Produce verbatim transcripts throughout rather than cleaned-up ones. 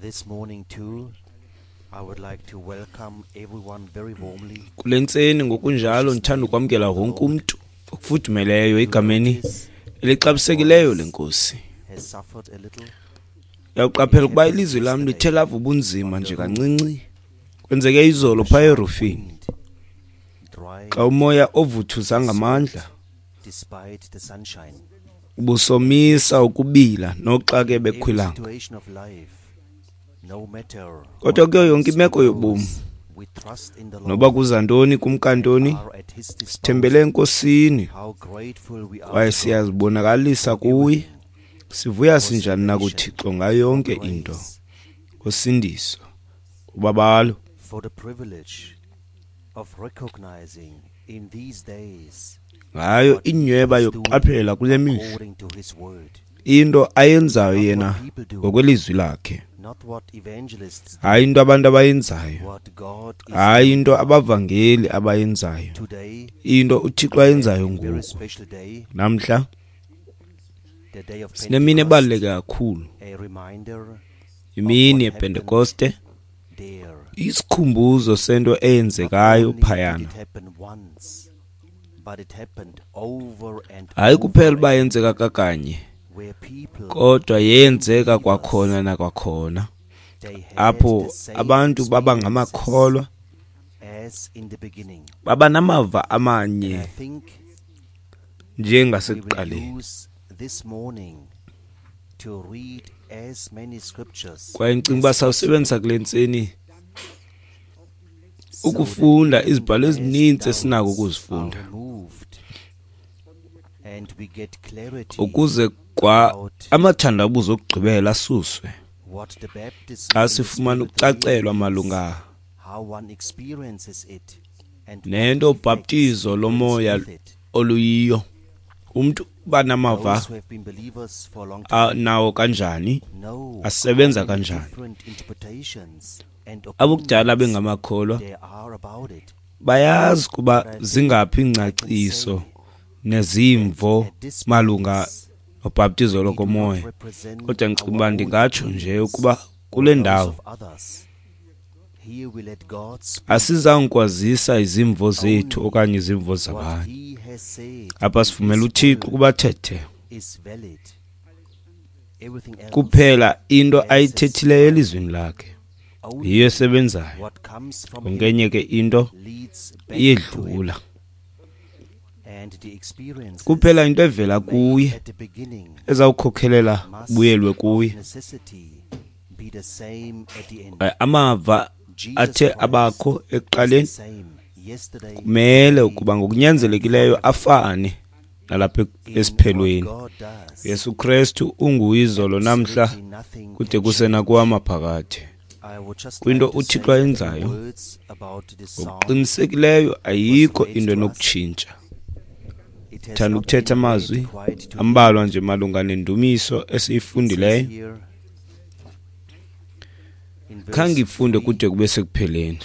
This morning too, I would like to welcome everyone very warmly. Kule ntseni ngokunjalo ndithanda ukwamkela wonke umntu okufudumeleyo egameni elixabisekileyo lenkosi. Has suffered a little. Uyawuqaphela ukuba ilizwi lam lithe lava ubunzima nje kancinci. Kwenzeke izolo phaya erufini Dry xa umoya ovuthuza ngamandla despite the sunshine. ubusomisa ukubila noxa ke Every bekhwilanga. situation of life, no matter Kodwa what kuyo yonke comes imeko or yobomi, goes, we trust in the noba Lord kuza ntoni kumkantoni, and are at his disposal. sithembele enkosini How grateful we are kwaye to God siyazibonakalisa kuye. everything, Sivuya for sinjani na salvation, kuThixo ngayo yonke for into, grace, ngosindiso, ubabalo, for the privilege of recognizing in these days ngayo what he inyhweba is doing yokuqaphela kule mihla according to his word. into ayenzayo Not what yena people do, ngokwelizwi lakhe, not what evangelists do, hayi into abantu abayenzayo, what God is hayi doing. into abavangeli abayenzayo, Today, into uThixo we have ayenzayo a very ngoku. special day, Namhla the day of sinemini Pentecost, ebaluleke kakhulu, a reminder of imini what happened yePentekoste, there. isikhumbuzo sento Not eyenzekayo only did phayana. it happen once, but it happened over and Hayi kuphela over uba again, yenzeka kakanye, where people kodwa became yenzeka believers. kwakhona nakwakhona, They had apho the same abantu baba experiences ngamakholwa, as in the beginning. baba namava And I amanye think we will njengasekuqaleni. use this morning to read as many scriptures Kwaye ndicinga uba as possible sawusebenzisa kule ntseni so that ukufunda even izibhalo as ezininzi esinako doubts are ukuzifunda, removed and we get clarity ukuze kwa about amathandabuzo okugqibela asuswe what the baptism xa in the sifumana Spirit really ukucacelwa is, malunga how one experiences it, and what nento effects ubhaptizo it brings lomoya with it. oluyiyo. Umntu uba namava Those who have been believers for a long a- time nawo kanjani, know how asebenza many kanjani. different interpretations and Abokudala opinions bengamakholwa there are about it. bayazi kuba But I think zingaphi I can iingcaciso say nezimvo that at this malunga place nobhaptizo we do not lokomoya. represent Kodwa ndicinga our uba own ndingatsho nje opinions ukuba or kule those ndawo of others. Here we let God speak asizange kwazisa izimvo zethu only okanye izimvo what zabanye. he has said Apha in sivumela his uThixo word ukuba athethe is valid. Everything else kuphela into passes ayithethileyo by. elizwini lakhe yiyo Only esebenzayo. what comes from Yonke him enye ke into leads back to him, iyedlula. and the experiences Kuphela into evela made kuye at the beginning ezawukhokelela must kubuyelwe of kuye. necessity be the same at the end. Eh, Amava Jesus athe Christ abakho is the ekuqaleni same yesterday, kumele today, ukuba and ngokunyanzelekileyo forever. afane nalapha In what esiphelweni. God does, Yesu Kristu unguyizolo namhla absolutely nothing kude can kuse change. nakuwamaphakade. I would just Kwinto like to uThixo say a few ayenzayo words about this psalm ngokuqinisekileyo that was ayikho read into to us. enokutshintsha. It has Thanda not ukuthetha been read amazwi quite to the ambalwa end. nje malunga nendumiso It says esiyifundileyo. here in verse Khange ifunde three, kude kube sekupheleni.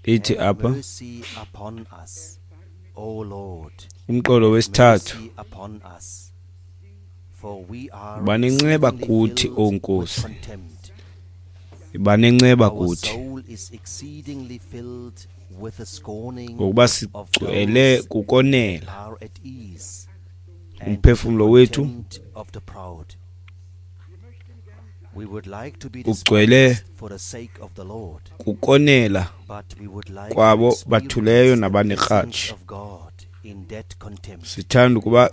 Ithi Have apha mercy upon us, O Lord, umqolo have wesithathu, mercy upon us, for we are Yiba nenceba exceedingly kuthi, filled O with Nkosi. contempt. Yiba nenceba Our kuthi, soul is exceedingly filled with the scorning ngokuba of sigcwele those kukonela. that are at ease and the Umphefumlo wethu contempt of the proud. We would like to be ugcwele despised for the sake of the Lord, kukonela but we would like to kwabo experience bathuleyo the nabanekratshi. blessings of God in that contempt. Sithanda ukuba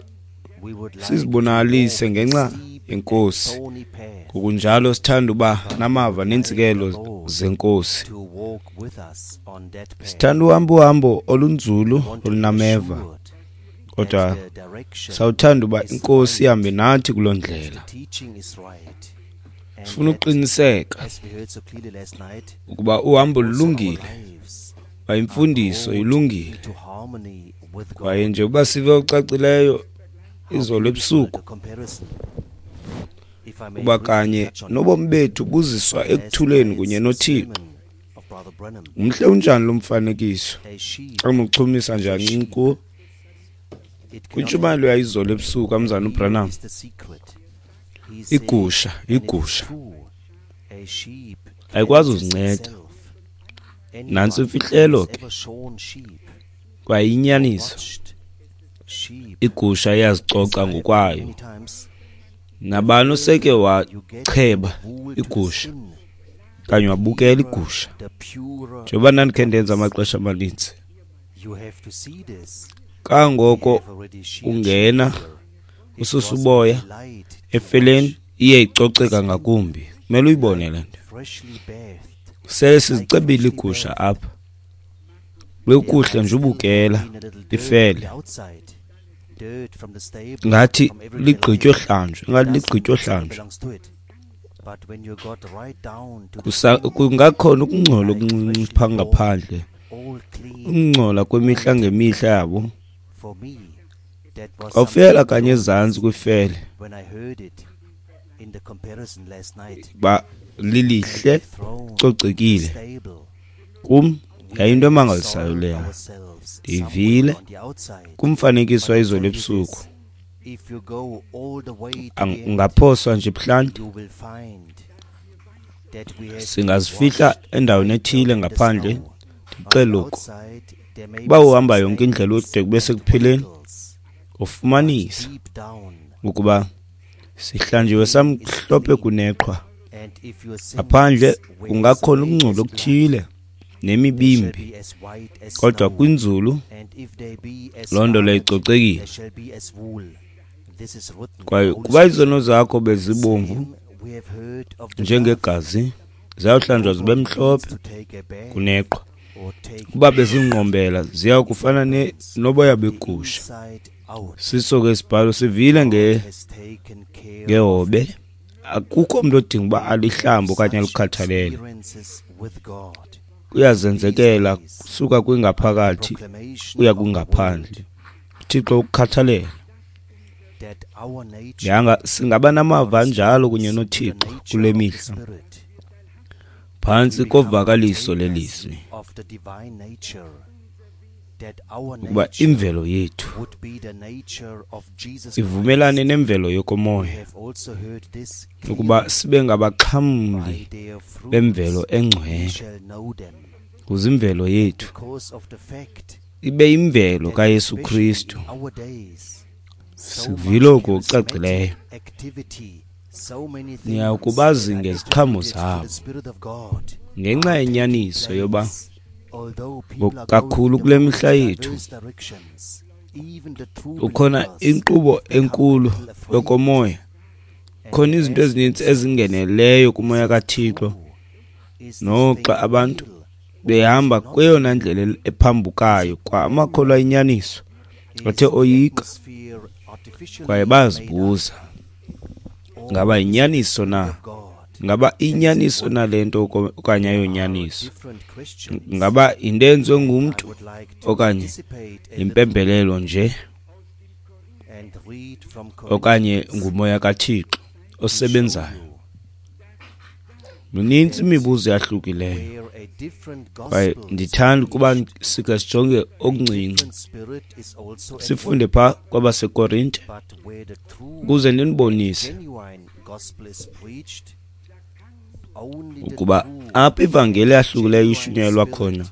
We would like to sizibonakalise walk ngenxa steep and yenkosi. thorny path, Ngokunjalo sithanda uba but we namava would like the neentsikelelo Lord zenkosi. to walk with us on that path. Sithanda uhamba uhambo olunzulu We want to be olunameva, assured kodwa that the direction sawuthanda uba is inkosi right, ihambe nathi kuloo that the ndlela. teaching is right, and Sifuna that, ukuqiniseka as we heard so clearly last night, ukuba uhambo also our lulungile, lives uba are imfundiso brought ilungile. into harmony with Kwaye God. nje uba sive ocacileyo How izolo beautiful ebusuku, the comparison. If I may uba briefly kanye touch on it, nobomi bethu buziswa last ekuthuleni night's kunye noThixo. sermon of Brother Branham, Umhle unjani lo mfanekiso? a sheep Xa unochumisa is nje a kancinci sheep. kuwo. It cannot Kwintshumayelo yayizolo ebusuku kamzana Here uBranham, is the secret. He said, igusha, and it is igusha true, Ayikwazi uzinceda. Nantsi imfihlelo ke, kwaye inyaniso. Igusha iyazicoca ngokwayo. Nabani oseke wacheba igusha okanye wabukela igusha, njengoba ndandikhe ndenza amaxesha amanintsi, kangoko ungena ususa uboya efeleni, iye icoceka ngakumbi. Kumele uyibone le nto. Sele sizicebile igusha apha, bekuhle nje ubukela ifele, ngathi ligqitywe hlanjwe, ngathi ligqitywe hlanjwe. Kungakhona ukungcola okuncinci phaa ngaphandle, ukungcola kwemihla ngemihla yabo. Awufela kanye ezantsi kwifele, ba lilihle, cocekile. Kum yayinto emangalisayo leya. Ndiyivile kumfanekiso wayizolo ebusuku. Ungaphoswa nje buhlanti, singazifihla endaweni ethile ngaphandle. Ndixele oku, uba uhamba yonke indlela ude kube sekupheleni, ufumanisa ukuba sihlanjiwe samhlophe kuneqhwa. Ngaphandle kungakhona ukungcola okuthile nemibimbi, kodwa kwinzulu loo nto leyo icocekile. Kwaye kuba izono zakho bezibomvu njengegazi, ziyawuhlanjwa zibe mhlophe kuneqhwa. Kuba bezingqombela, ziya kufana noboya begusha. Siso ke isibhalo sivile nge ngehobe. Akukho mntu odinga uba alihlambe okanye alikhathalele. Kuyazenzekela kusuka kwingaphakathi uya kwingaphandle. uThixo ukukhathalela. Yanga singaba namava anjalo kunye noThixo kule mihla, phantsi kovakaliso lelizwi, ukuba imvelo yethu ivumelane nemvelo yokomoya, ukuba sibe ngabaxhamli bemvelo engcwele, ukuze imvelo yethu ibe imvelo kaYesu Kristu. Sivile oku okucacileyo. Niya kubazi ngeziqhamo zabo. Ngenxa yenyaniso yoba kakhulu kule mihla yethu ukhona inkqubo enkulu yokomoya, khona izinto ezininzi ezingeneleyo kumoya kaThixo, noxa abantu behamba kweyona ndlela ephambukayo, kwa amakholwa inyaniso athe oyika kwaye bazibuza, ngaba inyaniso na? Ngaba inyaniso na le nto okanye ayonyaniso? Ngaba into enziwe ngumntu okanye yimpembelelo nje okanye ngumoya kaThixo osebenzayo? Minintsi imibuzo eyahlukileyo, kwaye ndithanda ukuba sike sijonge okuncinci, sifunde phaa kwabaseKorinte ukuze ndinibonise ukuba apho ivangeli eyahlukileyo ishunyayelwa khona,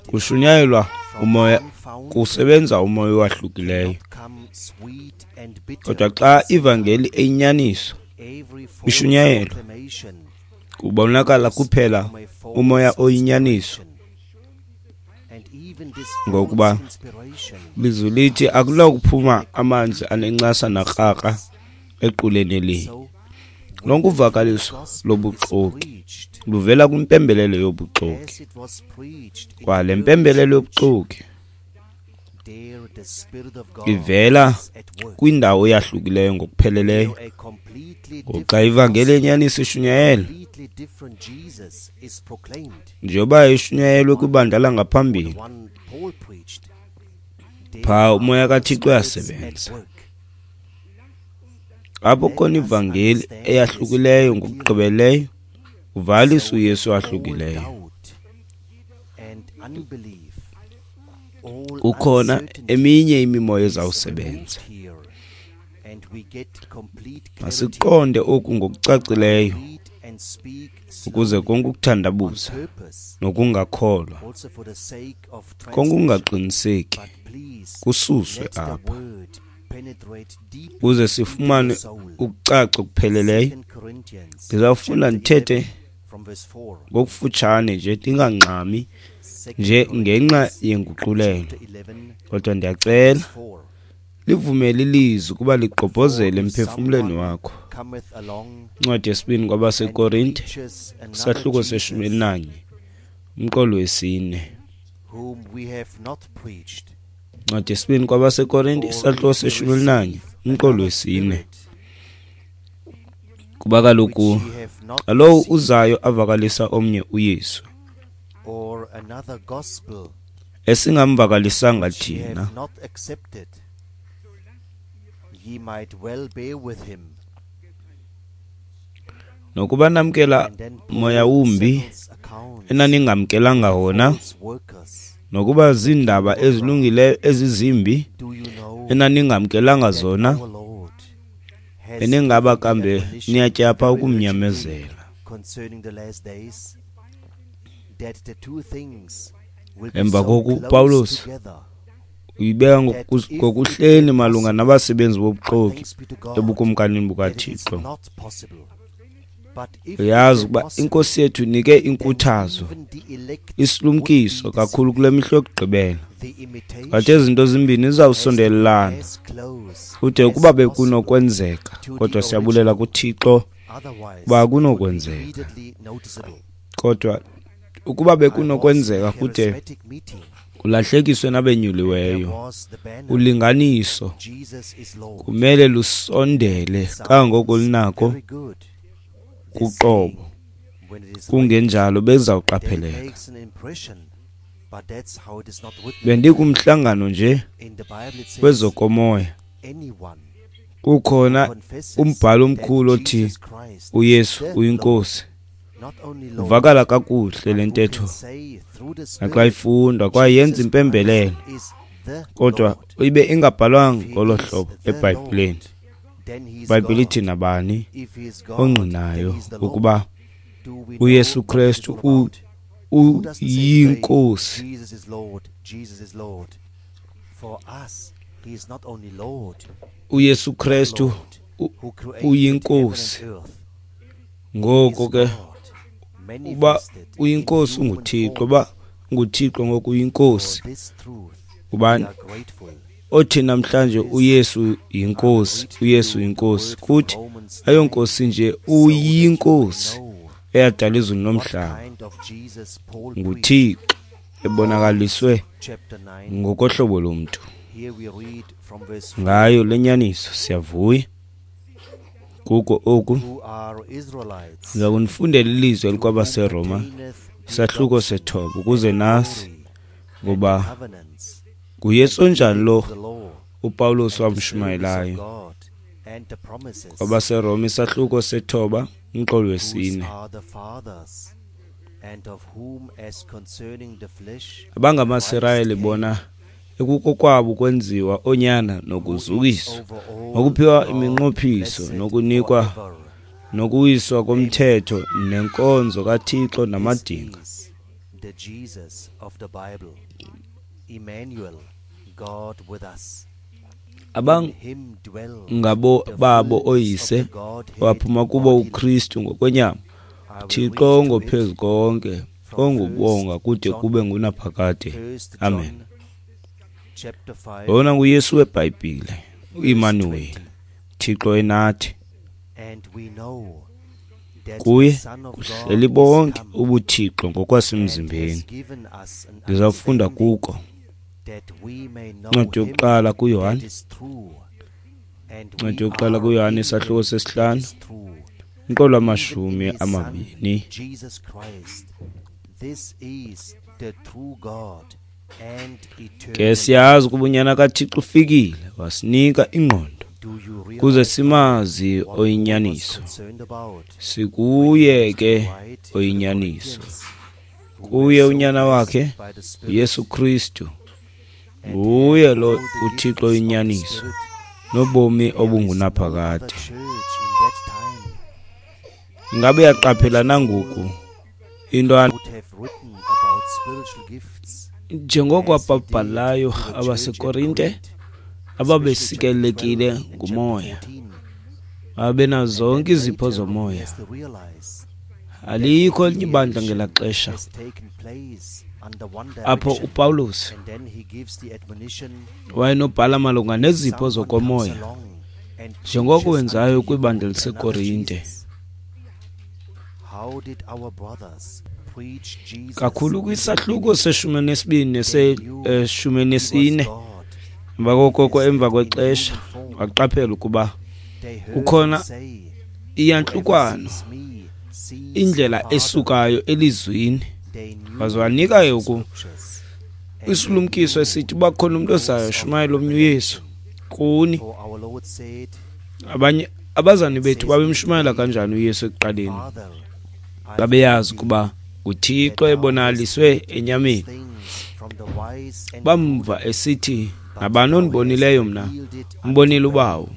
kushunyayelwa umoya, kusebenza umoya owahlukileyo. Kodwa xa ivangeli eyinyaniso ishunyayelwa, kubonakala kuphela umoya oyinyaniso, ngokuba lizwi lithi akunakuphuma amanzi anencasa nakrakra equleni elinye. Lonke uvakaliso lobuxoki luvela kwimpembelelo yobuxoki, kwa le mpembelelo yobuxoki ivela kwindawo eyahlukileyo ngokupheleleyo. Ngoxa ivangeli yenyaniso ishunyayelwa, njengoba ishunyayelwe kwibandla langaphambili, phaa umoya kaThixo uyasebenza. Apho khona ivangeli eyahlukileyo ngokugqibeleleyo, uvalisa uYesu owahlukileyo. Kukhona eminye imimoya ezawusebenza. Masiqonde oku ngokucacileyo Ukuze konke ukuthandabuza nokungakholwa, konke ukungaqiniseki kususwe apha, ukuze sifumane ukucaca okupheleleyo. Ndizawufunda ndithethe ngokufutshane nje, ndingangxami nje ngenxa yenguqulelo, kodwa ndiyacela livumele ilizwi ukuba ligqobhozele emphefumlweni wakho. Incwadi yesibini kwabaseKorinte, isahluko seshumi elinanye, umqolo wesine. Incwadi yesibini kwabaseKorinte, isahluko seshumi elinanye, umqolo wesine. Kuba kaloku lowo uzayo avakalisa omnye uYesu, esingamvakalisanga thina, nokuba namkela moya wumbi enaningamkelanga wona, nokuba ziindaba ezilungileyo ezizimbi enaningamkelanga zona, eningaba kambe niyatyapha ukumnyamezela. Emva koku uPawulos uyibeka ngokuhleni malunga nabasebenzi bobuxoki ebukumkanini bukaThixo. Uyazi ukuba iNkosi yethu inike inkuthazo, isilumkiso kakhulu kule mihla yokugqibela. Ngathi ezi zinto zimbini zizawusondelelana kude ukuba bekunokwenzeka, kodwa siyabulela kuThixo uba akunokwenzeka. Kodwa ukuba bekunokwenzeka kude kulahlekiswe nabenyuliweyo, ulinganiso kumele lusondele kangangoko lunako kuqobo, kungenjalo bezawuqapheleka. Bendikumhlangano nje kwezokomoya, kukhona umbhalo omkhulu othi uYesu uyiNkosi. Uvakala kakuhle le ntetho naxa ifundwa, kwaye yenza impembelelo, kodwa ibe ingabhalwanga ngolo hlobo eBhayibhileni. IBhayibhile ithi nabani ongqinayo ukuba uYesu Kristu uyinkosi. uYesu Kristu uyinkosi. Ngoko ke uba uyinkosi unguThixo, uba unguThixo ngoku uyinkosi. Ubani othi namhlanje uYesu yinkosi, uYesu yinkosi, kuthi ayonkosi nje, uyinkosi eyadala izulu nomhlaba, nguThixo ebonakaliswe ngokohlobo lomntu. Ngayo le nyaniso siyavuya. Kuko oku ndiza kunifundela ilizwi elikwabaseRoma, isahluko sethoba, ukuze nasi ngoba nguYesu onjani lo uPawulos wamshumayelayo. KwabaseRoma isahluko sethoba, umqolo wesine. AbangamaSirayeli bona ekukokwabo kwenziwa onyana nokuzukiswa, nokuphiwa iminqophiso, nokunikwa nokuwiswa komthetho nenkonzo kaThixo namadinga. Abangabo babo oyise waphuma kubo uKristu ngokwenyama, Thixo ongophezu konke, ongubonga kude kube ngunaphakade. Amen. Lona nguYesu weBhayibhile, uImmanuel, Thixo enathi. Kuye kuhleli bonke ubuThixo ngokwasemzimbeni. Ndizawufunda kuko incwadi yokuqala kuYohane, incwadi yokuqala kuYohane isahluko sesihlanu, umqolo wamashumi amabini. Ke siyazi ukuba uNyana kaThixo ufikile wasinika ingqondo kuze simazi oyinyaniso. Sikuye ke oyinyaniso, kuye uNyana wakhe uYesu Kristu. Nguye lo uThixo oyinyaniso nobomi obungunaphakade. Ingabe uyaqaphela nangoku into njengoko ababhalayo abaseKorinte ababesikelekile ngumoya, babenazo zonke izipho zomoya. Alikho elinye ibandla ngelaa xesha apho uPawulos wayenobhala malunga nezipho zokomoya njengoko wenzayo kwibandla liseKorinte. Kakhulu kwisahluko seshumi nesibini neseshumi nesine, emva koko emva kwexesha waqaphela ukuba kukhona iyantlukwano, indlela esukayo elizwini. Waze wanika yoku isilumkiso esithi uba khona umntu ozayo shumayela omnye uYesu kuni. Abanye abazali bethu babemshumayela kanjani uYesu ekuqaleni? Babeyazi ukuba nguThixo ebonakaliswe enyameni. Bamva esithi, nabani ondibonileyo mna umbonile uBawo.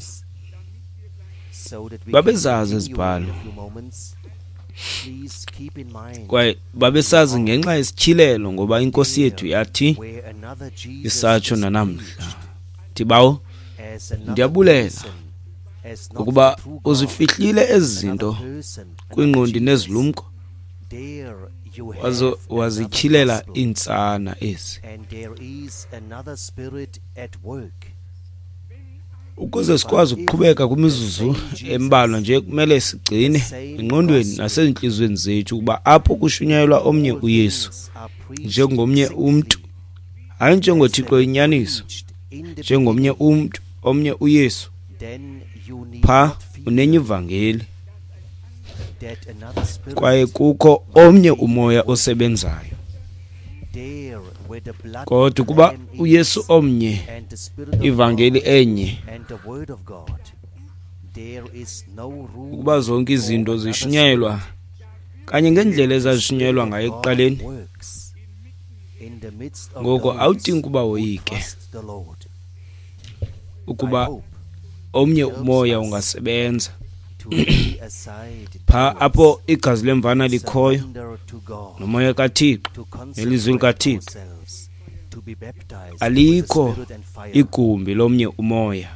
Babezazi izibhalo kwaye babesazi ngenxa yesityhilelo, ngoba inkosi yethu yathi isatsho nanamhla. Thi Bawo, ndiyabulela ukuba uzifihlile ezi zinto kwingqondi nezilumko, waze wazityhilela iintsana ezi, ukuze sikwazi ukuqhubeka kwimizuzu embalwa nje. Kumele sigcine engqondweni nasezintliziyweni zethu ukuba apho kushunyayelwa omnye uYesu njengomnye umntu, hayi njengoThixo inyaniso, njengomnye umntu, omnye uYesu, pha unenye ivangeli kwaye kukho omnye umoya osebenzayo. Kodwa ukuba uYesu omnye, ivangeli enye, ukuba zonke izinto zishunyayelwa kanye ngendlela ezazishunyayelwa ngayo ekuqaleni, ngoko awudingi ukuba woyike ukuba omnye umoya ungasebenza. Pha apho igazi lemvana likhoyo nomoya kaThixo nelizwi likaThixo, alikho igumbi lomnye umoya.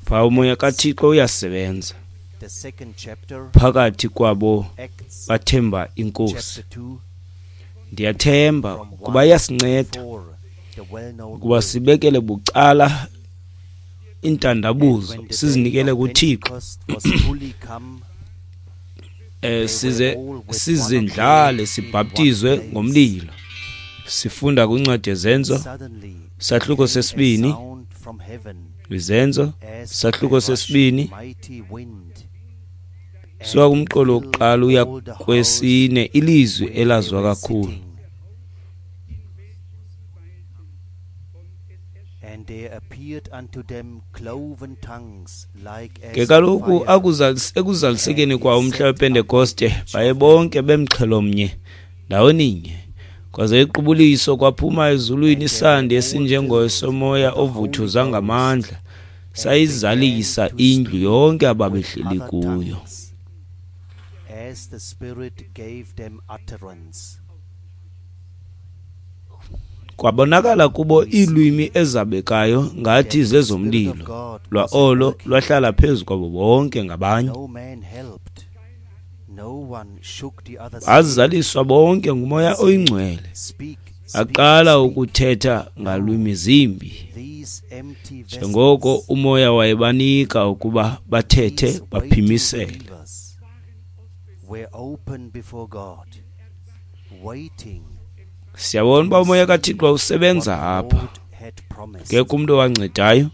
Pha umoya kaThixo uyasebenza phakathi kwabo bathemba inkosi. Ndiyathemba ukuba iyasinceda ukuba sibekele bucala intandabuzo, sizinikele kuThixo, eh size sizindlale, sibhaptizwe ngomlilo. Sifunda kwincwadi yeZenzo sahluko sesibini, Izenzo sahluko sesibini, suka kumqolo wokuqala uya kwesine, ilizwi elazwa kakhulu. Ke kaloku ekuzalisekeni kwawo umhla wePentekoste, baye bonke bemxhelo mnye ndawoninye. Kwaze iqubuliso kwaphuma ezulwini isandi esinjengosomoya ovuthuza ngamandla, sayizalisa indlu yonke ababehleli kuyo. Kwabonakala kubo iilwimi ezabekayo ngathi zezomlilo, lwa olo lwahlala phezu kwabo bonke ngabanye. Bazaliswa bonke ngumoya oyingcwele, aqala ukuthetha ngalwimi zimbi, njengoko umoya wayebanika ukuba bathethe baphimisele. Siyabona uba umoya kaThixo usebenza apha. Akekho umntu owancedayo,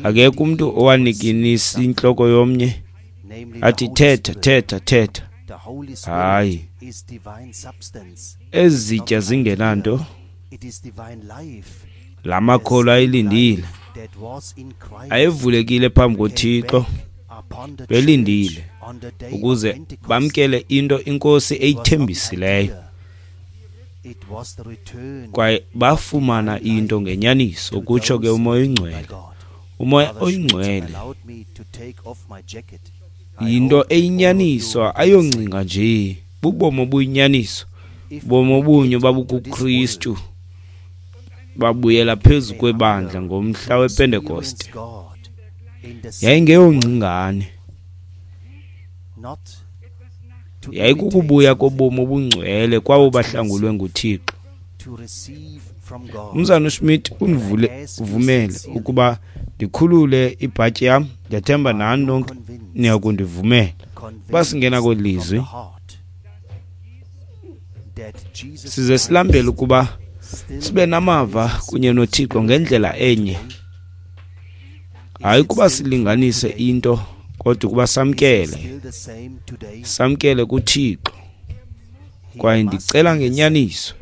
akekho umntu owanikinisa intloko yomnye athi thetha, thetha, thetha. Hayi, ezi zitya zingenanto, la makholwa ayelindile, ayevulekile phambi koThixo, belindile ukuze bamkele into inkosi eyithembisileyo. Kwaye bafumana into ngenyaniso, kutsho ke umoya oyingcwele. Umoya oyingcwele Yinto eyinyaniso, ayongcinga nje, bubomi obuyinyaniso, bomi obunye babukuKristu babuyela phezu kwebandla ngomhla wePentekoste. Yayingeyongcingane, yayikukubuya kobomi obungcwele kwabo bahlangulwe nguThixo. Umzana uSmith undivule uvumele ukuba ndikhulule ibhatyi yam. Ndiyathemba nani nonke niyakundivumela uba singena kweli lizwi size silambele ukuba sibe namava kunye noThixo ngendlela enye. Hayi ukuba silinganise into, kodwa ukuba samkele, samkele kuThixo. Kwaye ndicela ngenyaniso,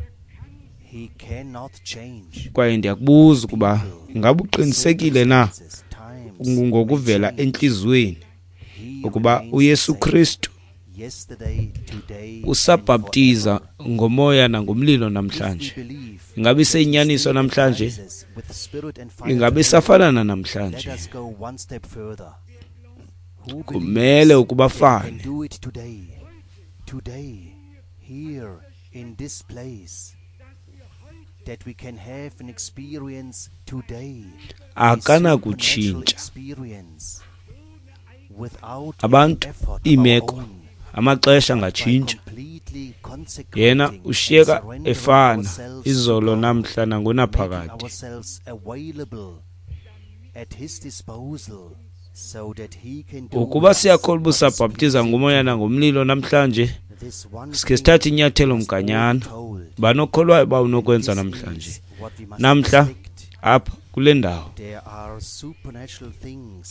kwaye ndiyakubuza ukuba ingaba uqinisekile na ngokuvela entliziyweni ukuba uYesu Kristu usabhaptiza ngomoya nangomlilo namhlanje? Ingabe iseyinyaniso namhlanje? Ingabe isafana namhlanje? Kumele ukuba fane. Akanakutshintsha. Abantu, iimeko, amaxesha angatshintsha. Yena ushiyeka efana izolo, namhla nangonaphakade. Ukuba siyakholwa ubusabhaptiza ngomoya nangomlilo namhlanje, sikhe sithathe inyathelo mganyana. Banokholwayo uba unokwenza namhlanje, namhla apha kule ndawo,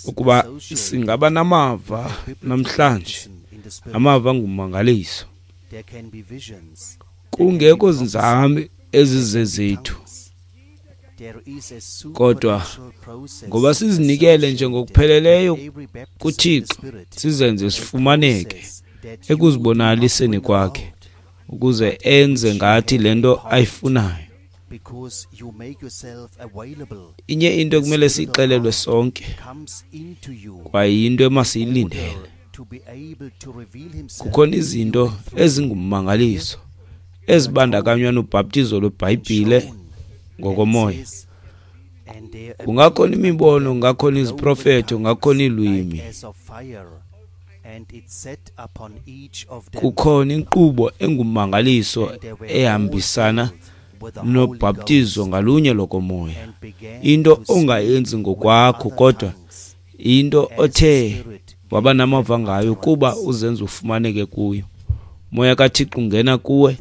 ukuba singaba namava namhlanje, amava ngummangaliso, kungekho zinzame ezizezethu, kodwa ngoba sizinikele nje ngokupheleleyo kuThixo, sizenze sifumaneke ekuzibonakaliseni kwakhe, ukuze enze ngathi le nto ayifunayo. Inye into ekumele siyixelelwe sonke, kwaye yinto emasiyilindele. Kukhona izinto ezingummangaliso ezibandakanywa nobhaptizo lweBhayibhile ngokomoya. Kungakhona imibono, kungakhona iziprofeto, kungakhona iilwimi. Kukhona inkqubo engummangaliso ehambisana nobhaptizo ngalunye lokomoya. Into ongayenzi ngokwakho, kodwa into othe waba namava ngayo kuba uzenze ufumaneke kuyo. Moya kaThixo ungena kuwe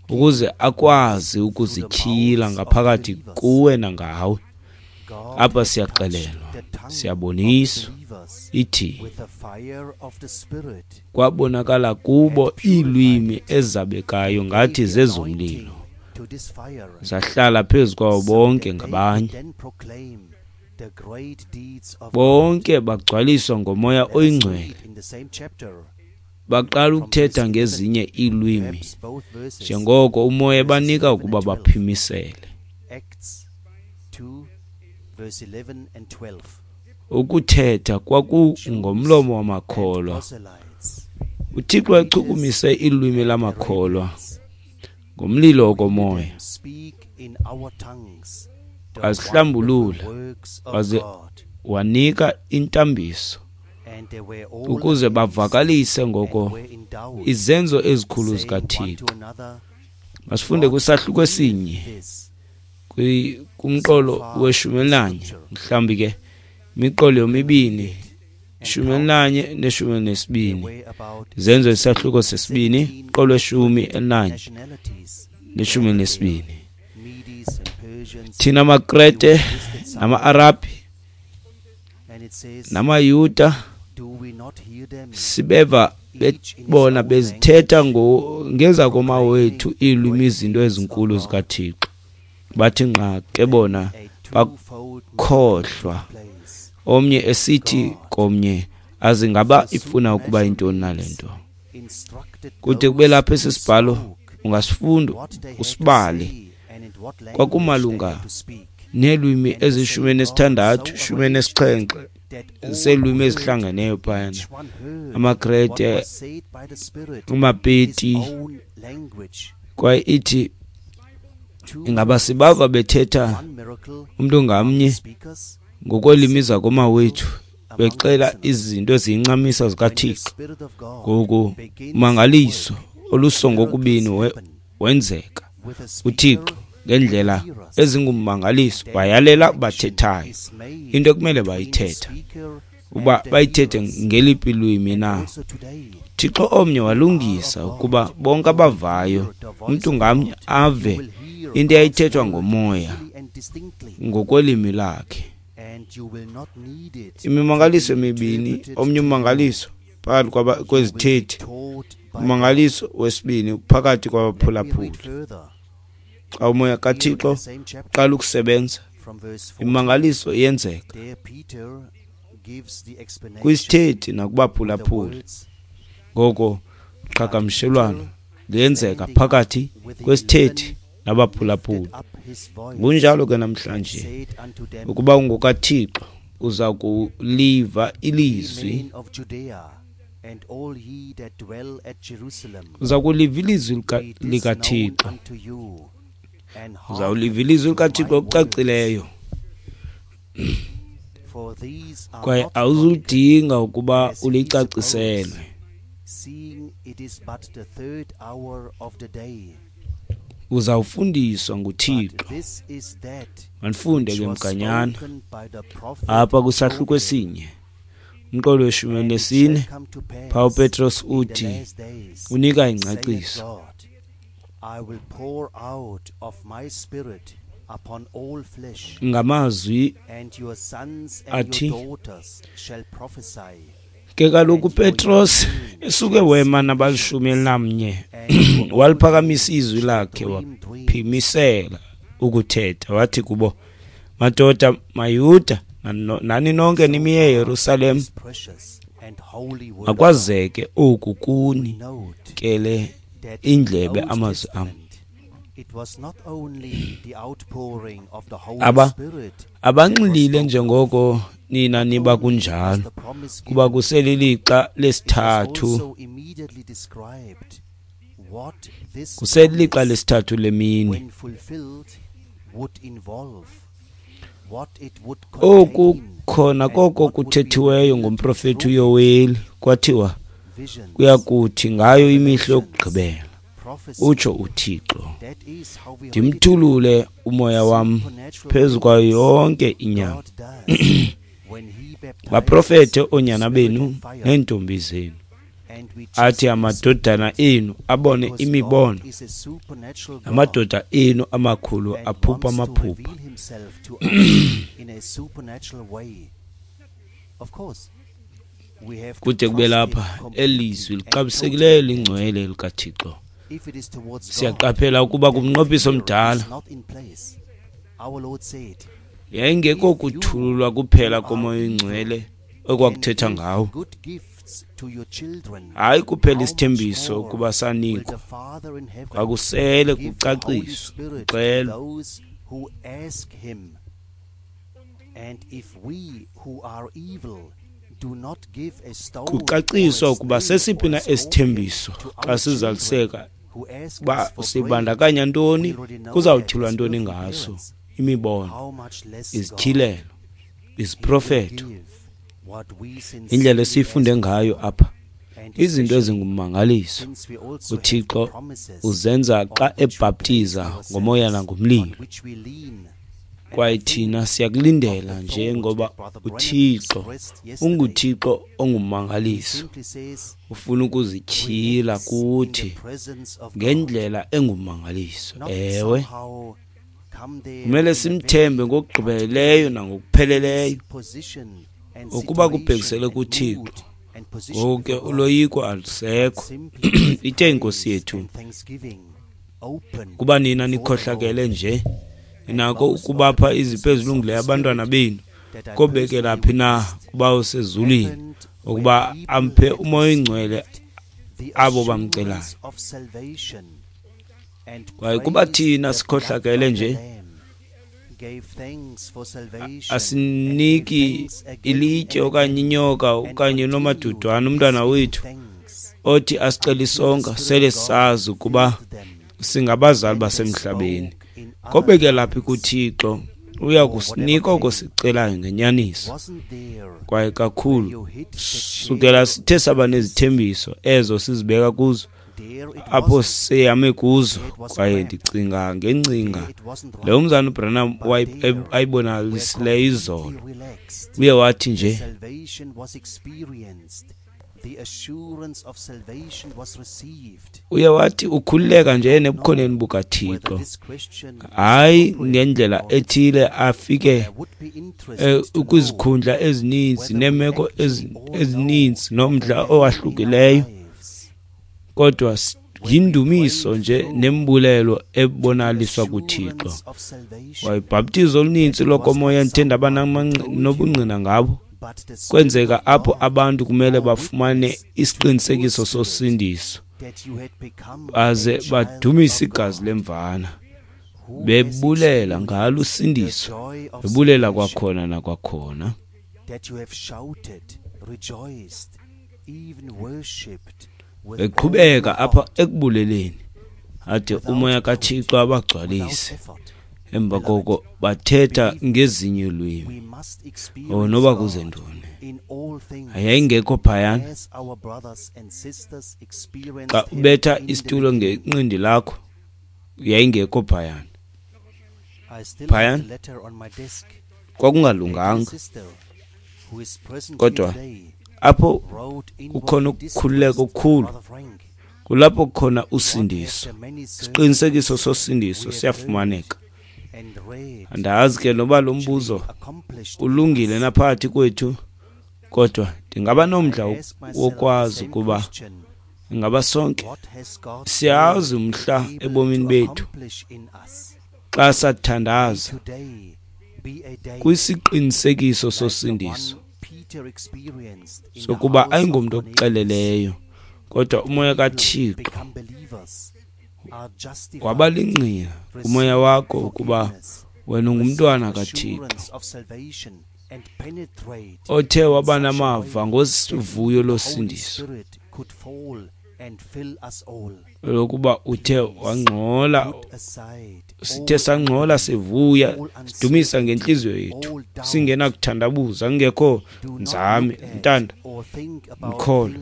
ukuze akwazi ukuzityhila ngaphakathi kuwe nangawe. Apha siyaxelelwa, siyaboniswa, ithi kwabonakala kubo iilwimi ezabekayo ngathi zezomlilo, zahlala phezu kwawo bonke ngabanye. Bonke bagcwaliswa ngomoya oyingcwele, baqala ukuthetha ngezinye iilwimi njengoko umoya ebanika ukuba baphimisele. Ukuthetha kwakungomlomo wamakholwa. UThixo wachukumise ilwimi lamakholwa ngomlilo wokomoya, wazihlambulula waze wanika intambiso ukuze bavakalise ngoko izenzo ezikhulu zikaThixo. Masifunde kwisahluko esinye kumqolo weshumi elinanye, mhlawumbi ke imiqolo yomibini, ishumi elinanye neshumi elinesibini. Izenzo isahluko sesibini, mqolo weshumi elinanye neshumi elinesibini. Thina maKrete nama-Arabhi namaYuda sibeva bona bezithetha ngezakomawethu iilwimi izinto ezinkulu zikaThixo. Bathi nqa ke bona bakhohlwa, omnye esithi komnye, aze ngaba ifuna ukuba yintoni na le nto. Kude kube lapha esi sibhalo ungasifunda usibale, kwakumalunga neelwimi ezishumi elinesithandathu, shumi elinesixhenxe, Seelwimi ezihlangeneyo phayana, amaKrete, uMapeti, kwaye ithi ingaba sibava bethetha umntu ngamnye ngokweelwimi zakomawethu, bexela izinto eziyincamisa zikaThixo. Ngoku umangaliso olusongokubini wenzeka. UThixo ngendlela ezingummangaliso wayalela bathethayo into ekumele bayithetha, uba bayithethe ngeliphi lwimi na. Thixo omnye walungisa ukuba bonke abavayo umntu ngamnye ave into eyayithethwa ngomoya ngokwelimi lakhe. Imimangaliso emibini, omnye ummangaliso phakathi kwezithethi, ummangaliso wesibini phakathi kwabaphulaphuli. Xa umoya kaThixo uqala ukusebenza, imimangaliso iyenzeka kwisithethi nakubaphulaphuli. Ngoko uqhagamshelwano luyenzeka phakathi kwesithethi nabaphulaphuli. Kunjalo ke namhlanje, ukuba ungokaThixo uza kuliva ilizwi, uza kuliva ilizwi likaThixo, uzawuliva ilizwi likaThixo okucacileyo, kwaye awuzudinga ukuba ulicaciselwe. Uzawufundiswa nguThixo. Mandifunde ke mganyana apha kwisahluko esinye, umqolo weshumi nesine. Phaa uPetros uthi unika ingcaciso. Ngamazwi athi, ke kaloku uPetros esuke wema nabalishumi elinamnye, waliphakamisa izwi lakhe waphimisela ukuthetha, wathi kubo, madoda maYuda, nani nonke nimiye eYerusalem, makwazeke oku kuni kele indlebe amazwi am. Aba abanxilile njengoko nina niba kunjalo, kuba kuselilixa lesithathu, kuselilixa lesithathu lemini. Oku khona koko kuthethiweyo ngomprofethi uYoweli, kwathiwa kuyakuthi ngayo imihla yokugqibela, utsho uThixo, ndimthulule umoya wam phezu kwayo yonke inyama, baprofethe oonyana benu neentombi zenu, athi amadodana enu abone imibono, namadoda enu amakhulu aphupha amaphupha. Kude kube lapha elizwi lixabisekileyo lingcwele likaThixo. Siyaqaphela ukuba kumnqophiso omdala yayingekho kuthululwa kuphela komoya oyingcwele okwakuthetha ngawo, hayi kuphela isithembiso ukuba sanikwa, kwakusele kucaciswa, kuxelwa. Kucaciswa ukuba sesiphi na esithembiso xa sizaliseka, uba sibandakanya ntoni, kuzawutyhilwa ntoni ngaso, imibono, izityhilelo, iziprofeto, indlela esiyifunde ngayo apha, izinto ezingummangaliso uThixo uzenza xa ebhaptiza ngomoya nangomlilo. Kwaye thina siyakulindela njengoba uThixo unguThixo ongummangaliso, ufuna ukuzityhila kuthi ngendlela engummangaliso. Ewe, kumele simthembe ngokugqibeleleyo nangokupheleleyo ukuba kubhekisele kuThixo. Ngoku ke uloyiko alusekho. Ithe iNkosi yethu, kuba nina nikhohlakele nje, ninako ukubapha izipho ezilungileyo abantwana benu, kobekela phi na kuba usezulwini ukuba amphe umoya oyingcwele abo bamcelayo. Kwaye kuba thina sikhohlakele nje, Asiniki ilitye okanye inyoka okanye nomadudwane umntwana wethu othi asicela isonka, sele sazi ukuba singabazali basemhlabeni. Kobekela phi kuThixo, uya kusinika oko sicelayo ngenyaniso. Kwaye kakhulu sukela sithe saba nezithembiso ezo sizibeka kuzo, apho seyame kuzo. Kwaye ndicinga ngengcinga le umzana uBranham ayibonakalisileyo izolo. Uye wathi nje, uye wathi ukhululeka nje ebukhoneni bukaThixo, hayi ngendlela ethile afike kwizikhundla ezininzi neemeko ezininzi nomdla owahlukileyo, kodwa yindumiso nje nembulelo ebonaliswa kuThixo. Wayibhaptizo oluninzi lokomoya ndithe ndaba nobungqina ngabo kwenzeka apho abantu kumele bafumane isiqinisekiso sosindiso baze badumise igazi lemvana, bebulela ngalo usindiso, bebulela kwakhona nakwakhona. Beqhubeka apha ekubuleleni ade umoya kaThixo abagcwalise. Emva koko bathetha ngezinye ilwimi, oh noba kuze ntoni, yayingekho phayana. Xa ubetha isitulo ngenqindi lakho, yayingekho phayana. Phayana kwakungalunganga, kodwa apho kukhona ukukhululeka okukhulu, kulapho kukhona usindiso. Isiqinisekiso sosindiso siyafumaneka. Andazi ke noba lo mbuzo ulungile naphakathi kwethu, kodwa ndingaba nomdla wokwazi ukuba ingaba sonke siyazi umhla ebomini bethu xa sathandaza kwisiqinisekiso sosindiso sokuba ayingomntu okuxeleleyo, kodwa umoya kaThixo waba lingqina umoya wakho ukuba wena ungumntwana kaThixo othe waba namava ngovuyo losindiso lokuba uthe wangxola, sithe sangxola sivuya sidumisa ngentliziyo yethu singenakuthandabuza, kungekho nzame ntanda mkholo.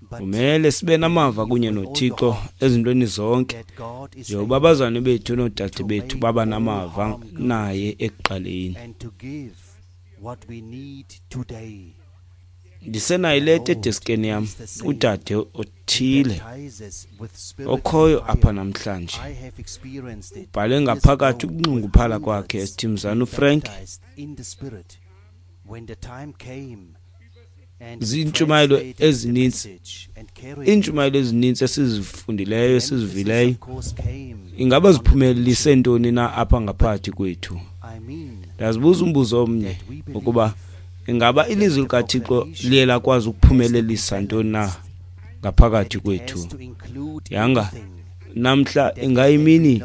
Kumele sibe namava kunye noThixo ezintweni zonke, njengoba abazalwane bethu noodade bethu baba namava naye ekuqaleni. Ndisenayo ileta edeskeni yam, udade othile okhoyo apha namhlanje ubhale ngaphakathi ukunxunguphala kwakhe esithi, mzana uFrank, ziintshumayelo ezininzi, iintshumayelo ezininzi esizifundileyo esizivileyo, ingaba ziphumelelise ntoni na apha ngaphakathi kwethu? Ndazibuza umbuzo omnye ukuba ingaba ilizwi likaThixo liye lakwazi ukuphumelelisa ntoni na ngaphakathi kwethu? Yanga namhla ingayimini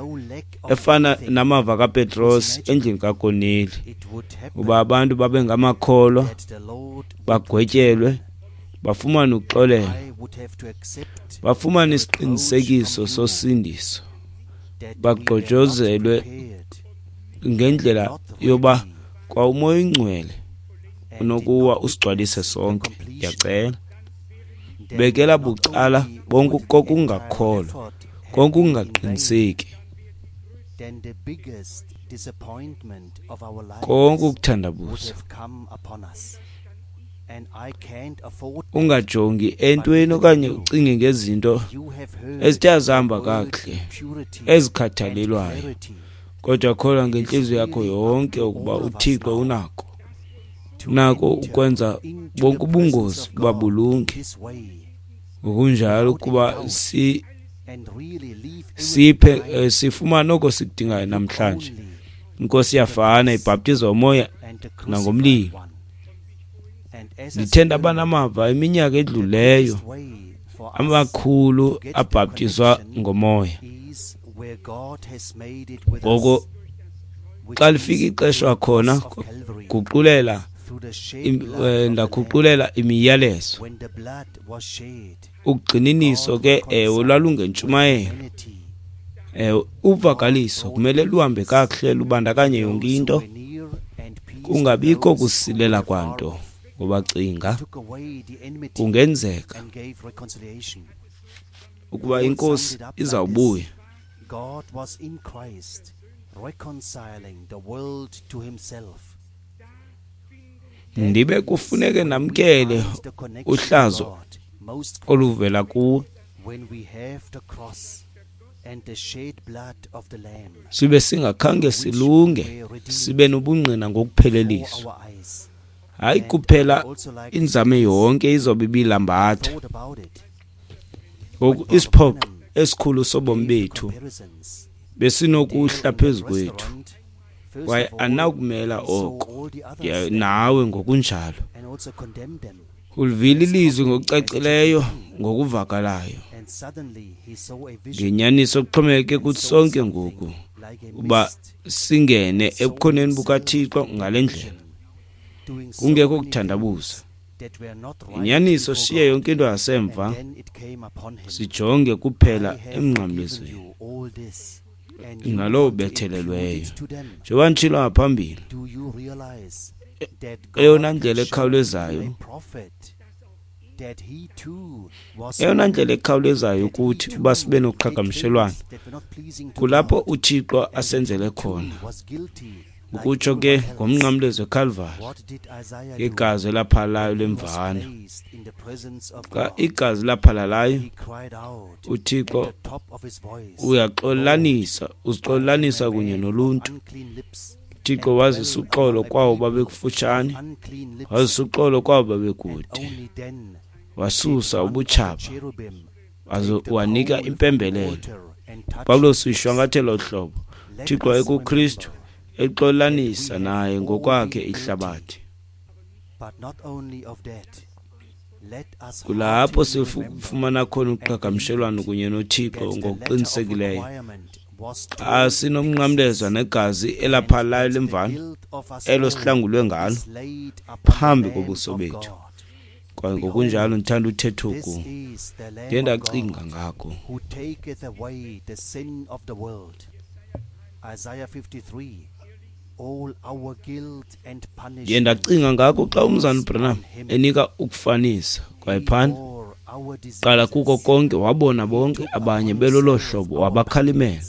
efana namava kaPetros endlini kaKorneli, uba abantu babe ngamakholwa, bagwetyelwe, bafumane uxolelo, bafumane isiqinisekiso sosindiso, bagqojozelwe ngendlela yoba kwa umoya oyingcwele unokuwa usigcwalise sonke. Ndiyacela bekela bucala bonke kokungakholwa, konke ukungaqiniseki, konke ukuthandabuza. Ungajongi entweni okanye ucinge ngezinto ezithe azihamba kakuhle ezikhathalelwayo, kodwa kholwa ngentliziyo yakho yonke ukuba uThixo unako unako ukwenza bonke ubungozi ukuba bulunge. Ngokunjalo ukuba si siphe sifumane oko sikudingayo namhlanje. Inkosi iyafana, ibhaptizwa umoya nangomlilo. Ndithe ndaba namava iminyaka edluleyo Amakhulu abhaptizwa ngomoya. Ngoko xa lifika ixesha khona guqulela ndaguqulela imiyalezo. Ugxininiso ke ewe lwalungentshumayelo. Ewe uvakaliso kumele luhambe kakuhle lubandakanye yonke into, kungabikho kusilela kwanto. Ngoba cinga kungenzeka ukuba inkosi izawubuya. God was in Christ reconciling the world to himself. Ndibe kufuneke namkele uhlazo oluvela kuwe, when we have the cross and the shed blood of the lamb sibe singakhange silunge sibe nobungqina ngokupheleliswa. Hayi kuphela inzame yonke izobe ibilambatha. Ngoku isiphoxo esikhulu sobomi bethu besinokuhla phezu kwethu, kwaye anakumela oko nawe ngokunjalo. Ulivile ilizwi ngokucacileyo ngokuvakalayo. Ngenyaniso kuxhomekeke kuthi sonke ngoku uba singene ebukhoneni bukaThixo ngale ndlela, kungekho kuthandabuza. Inyaniso shiye yonke into yasemva, sijonge kuphela emnqamlezweni nalowo bethelelweyo. Njengoba nditshilo ngaphambili, eyona ndlela ekhawulezayo eyona ndlela ekhawulezayo ukuthi uba sibe noqhagamshelwano kulapho uThixo asenzele khona, ukutsho ke ngomnqamlezo eCalvary, igazi elaphalalayo lemvana. Xa igazi laphalalayo, uThixo uyaxolanisa, uzixolanisa kunye noluntu. uThixo wazisa uxolo kwawo babekufutshane, wazisa uxolo kwawo babekude, wasusa ubutshaba, waze wanika impembelelo. Pawulos uyishwankathela uhlobo, uThixo ekuKristu exolanisa naye ngokwakhe ihlabathi. Kulapho sifumana khona uqhagamshelwano kunye noThixo ngokuqinisekileyo. Xa sinomnqamlezo negazi elaphalalayo lemvana elo sihlangulwe ngalo phambi kobuso bethu. Kwaye ngokunjalo ndithanda uthetha oku, ndiye ndacinga ngako. Ndiye ndacinga ngako xa umzana Branham enika ukufanisa. Kwaye phana qala kuko konke wabona bonke abanye belolo hlobo, wabakhalimela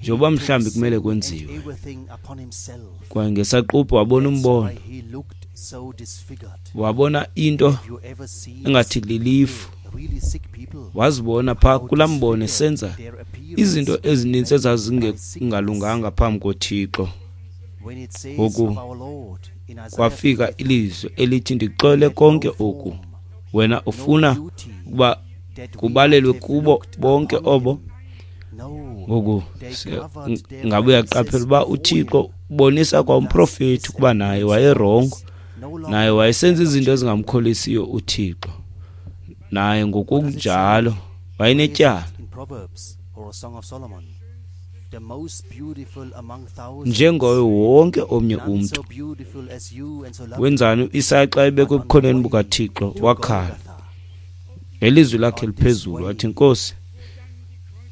njengoba mhlawumbi kumele kwenziwe. Kwaye ngesaquphe wabona umbono, wabona into engathi lilifu, wazibona phaa kulaa mbono esenza izinto ezininzi ezazingalunganga phambi koThixo. Ngoku kwafika ilizwi elithi, ndixole konke oku, wena ufuna ukuba kubalelwe kubo bonke obo. Ngoku ngabe uyaqaphela uba uThixo ubonisa kwa umprofethi ukuba naye wayerongo, naye wayesenza izinto ezingamkholisiyo uThixo, naye ngokunjalo wayenetyala. Njengoye wonke omnye umntu. Wenzani uIsaya xa ebekwe ebukhoneni bukaThixo? Wakhala ngelizwi lakhe liphezulu wathi, Nkosi,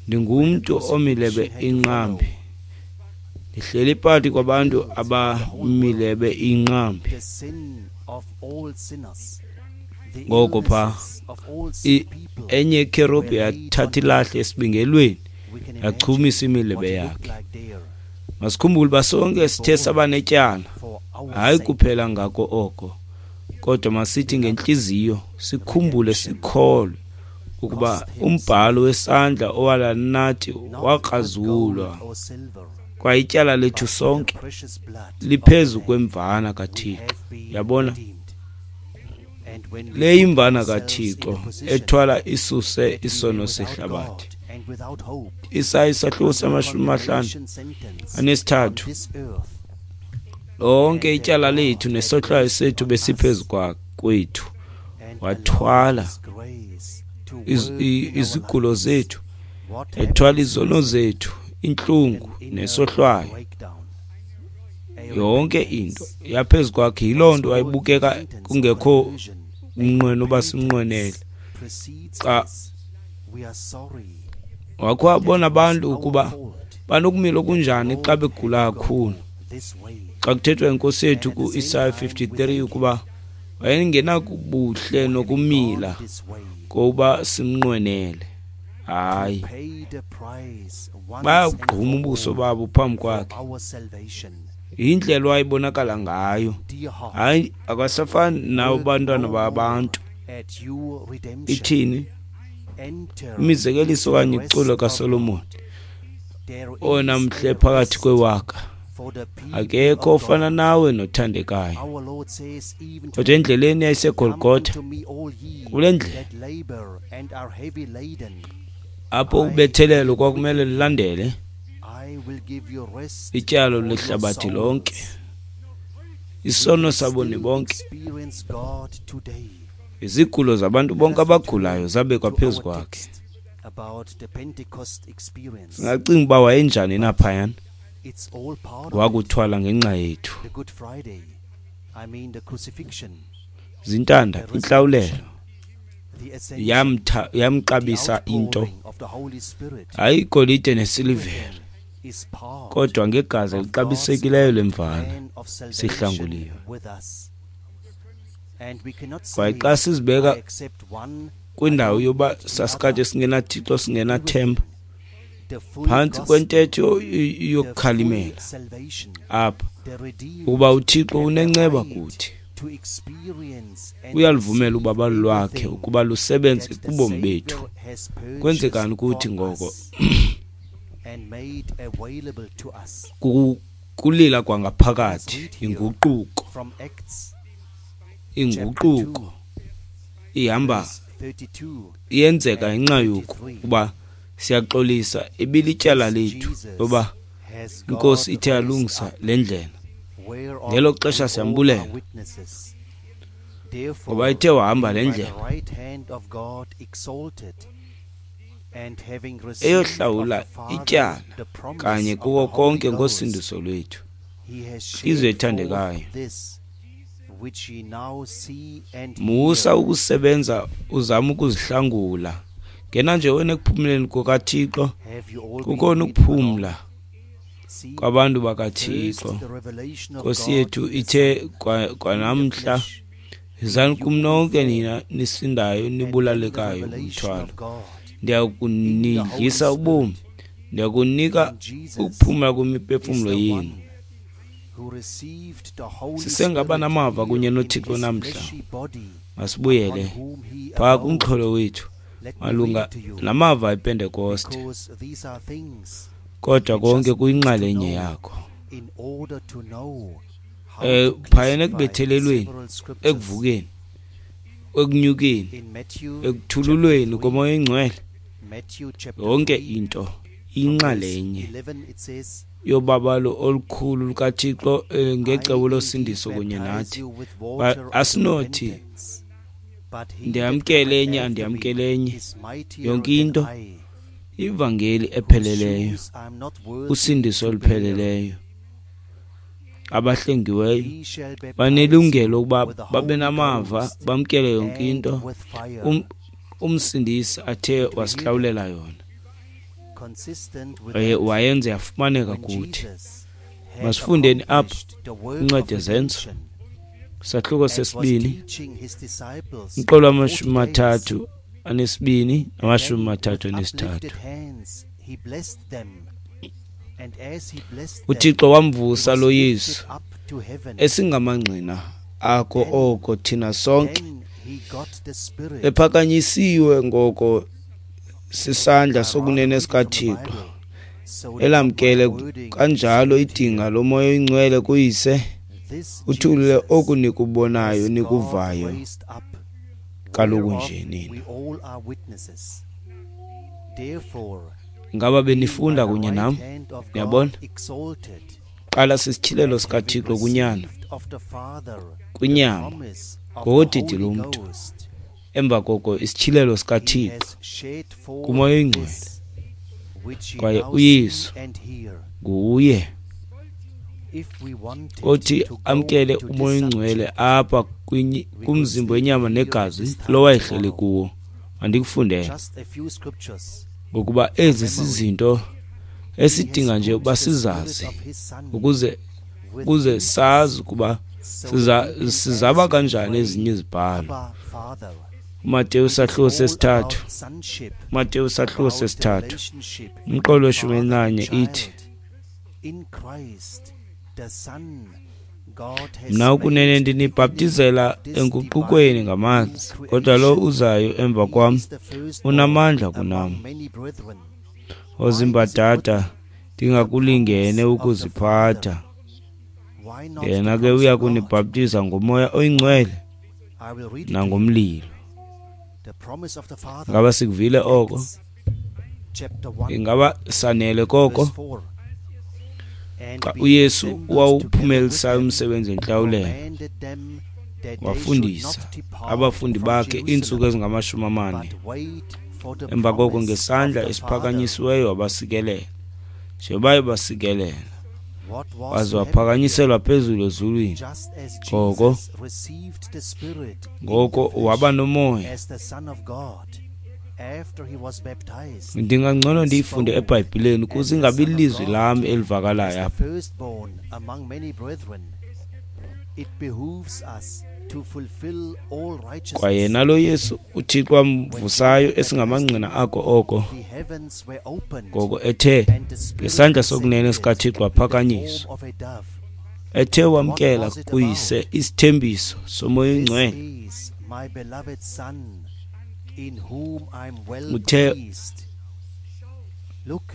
ndingumntu omilebe inqambi, ndihleli phakathi kwabantu abamilebe inqambi. Ngoko pha enye ikherubhi yathatha ilahle esibingelweni yachumisa imilebe yakhe. Masikhumbule uba sonke sithe saba netyala, hayi kuphela ngako oko, kodwa masithi ngentliziyo sikhumbule sikholwe ukuba umbhalo wesandla owalanathi wakrazulwa, kwaye ityala lethu sonke liphezu kwemvana kaThixo. Yabona, le imvana kaThixo ethwala isuse isono sehlabathi. Isaya isahluko samashumi amahlanu anesithathu. Lonke ityala lethu nesohlwayo sethu besiphezu kwethu, wathwala izigulo zethu, ethwala izono zethu, intlungu nesohlwayo, yonke into yaphezu kwakhe. Yiloo nto wayebukeka kungekho umnqweno uba simnqwenele. Xa wakho wabona abantu ukuba banokumila okunjani xa begula kakhulu. Xa kuthethwa inkosi yethu ku-Isaya fifty-three ukuba wayengenakubuhle nokumila kokuba simnqwenele. Hayi, bayagquma ubuso babo phambi kwakhe. Yindlela wayebonakala ngayo. Hayi, akasafani nabo bantwana babantu. Ithini imizekeliso okanye iculo kaSolomon? Owona mhle phakathi kwewaka, akekho ofana nawe nothandekayo. Kodwa endleleni yayiseGolgotha, kule ndlela apho ubethelelo kwakumele lulandele ityalo lehlabathi lonke, isono saboni bonke, izigulo zabantu bonke abagulayo zabekwa phezu kwakhe. Singacinga uba wayenjani na phayana? Wakuthwala ngenxa yethu. Zintanda, intlawulelo yamxabisa into, hayi igolide nesilivere, kodwa ngegazi elixabisekileyo lemvana sihlanguliwe. Kwaye xa sizibeka kwindawo yoba sasikade singenaThixo, singenathemba, phantsi kwentetho yokukhalimela apha, ukuba uThixo unenceba kuthi, uyaluvumela ubabalo lwakhe ukuba lusebenze kubomi bethu. Kwenzekani kuthi ngoko? Kulila kwangaphakathi, inguquko. Inguquko ihamba iyenzeka ngenxa yoku kuba siyaxolisa, ibilityala lethu loba inkosi ithe yalungisa le ndlela. Ngelo xesha siyambulela ngoba ithe wahamba le ndlela eyohlawula ityala kanye kuko konke ngosindiso lwethu. Izwe ethandekayo, musa ukusebenza uzama ukuzihlangula. Ngena nje wena ekuphumleni kukaThixo. Kukhona ukuphumla kwabantu bakaThixo. Nkosi yethu ithe kwanamhla, yizani kum nonke nina nisindayo nibulalekayo ngumthwalo, ndiyakunidlisa ubomi, ndiyakunika ukuphumla kwimiphefumlo yenu. Sisengaba namava kunye noThixo namhla. Masibuyele phaa kumxholo wethu malunga namava ePentekoste, kodwa konke kuyinxalenye yakho. Eh phayana ekubethelelweni, ekuvukeni, ekunyukeni, ekuthululweni koMoya oyiNgcwele, yonke into inxalenye yobabalo olukhulu lukaThixo ngecebo losindiso kunye nathi. Asinothi ndiyamkele enye, andiyamkele enye, yonke into ivangeli epheleleyo, usindiso olupheleleyo. Abahlengiweyo banelungelo ukuba babe namava, bamkele yonke into um, umsindisi athe wasihlawulela yona, wayenze yafumaneka kuthi. Masifundeni apha incwadi yeZenzo, sahluko sesibini, umqolo wamashumi mathathu anesibini namashumi mathathu anesithathu. UThixo wamvusa lo Yesu, esingamangqina akho oko thina sonke, ephakanyisiwe ngoko sisandla sokunene sikaThixo, elamkele kanjalo idinga loMoya oyiNgcwele kuyise, uthulule oku nikubonayo nikuvayo kaloku nje nina. Ngaba benifunda kunye nam? Niyabona? Qala sisityhilelo sikaThixo kunyana, kwinyama, ngodidi lomntu. Emva koko isityhilelo sikaThixo kuMoya oyiNgcwele, kwaye uYesu nguye othi amkele uMoya oyiNgcwele apha kumzimba wenyama negazi lo wayehleli kuwo. Mandikufundele, ngokuba ezi zizinto esidinga nje ukuba sizazi ukuze ukuze sazi ukuba sizaba kanjani ezinye izibhalo. uMateyu sahluko sesithathu, uMateyu sahluko sesithathu, umqolo weshumi elinanye ithi, mna ukunene ndinibhaptizela enguqukweni ngamanzi, kodwa lo uzayo emva kwam unamandla kunam, ozimbadada ndingakulingene ukuziphatha. Yena ke uya kunibhaptiza ngoMoya oyiNgcwele nangomlilo. Ngaba sikuvile oko? Ingaba sanele koko? Xa uYesu wawuphumelisayo umsebenzi wentlawulelo, wafundisa abafundi bakhe iintsuku ezingamashumi amane. Emva koko ngesandla esiphakanyisiweyo wabasikelela, njengoba ebasikelela, waze waphakanyiselwa phezulu ezulwini. Ngoko ngoko waba nomoya. Ndingangcono ndiyifunde eBhayibhileni ukuze ingabi lilizwi lam elivakalayo apha. Kwaye nalo Yesu uThixo wamvusayo esingamangqina ako oko, ngoko ethe ngesandla sokunene sikaThixo waphakanyiswa, ethe wamkela kuyise isithembiso soMoya oyiNgcwele, uthe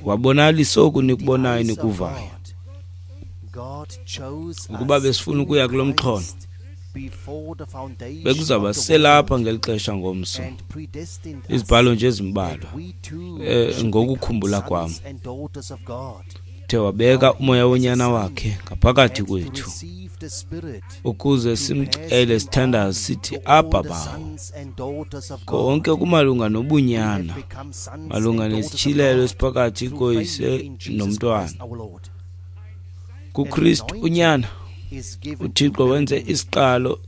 wabonalisa oku nikubonayo nikuvayo. Ukuba besifuna ukuya kulo mxholo, bekuzawuba selapha ngeli xesha ngomso. Izibhalo nje ezimbalwa eh, ngokukhumbula kwam. Uthe wabeka umoya wonyana wakhe ngaphakathi kwethu ukuze simcele sithandaze sithi Abba Bawo. Konke kumalunga nobunyana, malunga nesityhilelo esiphakathi koyise nomntwana. KuKristu unyana, uThixo wenze isiqalo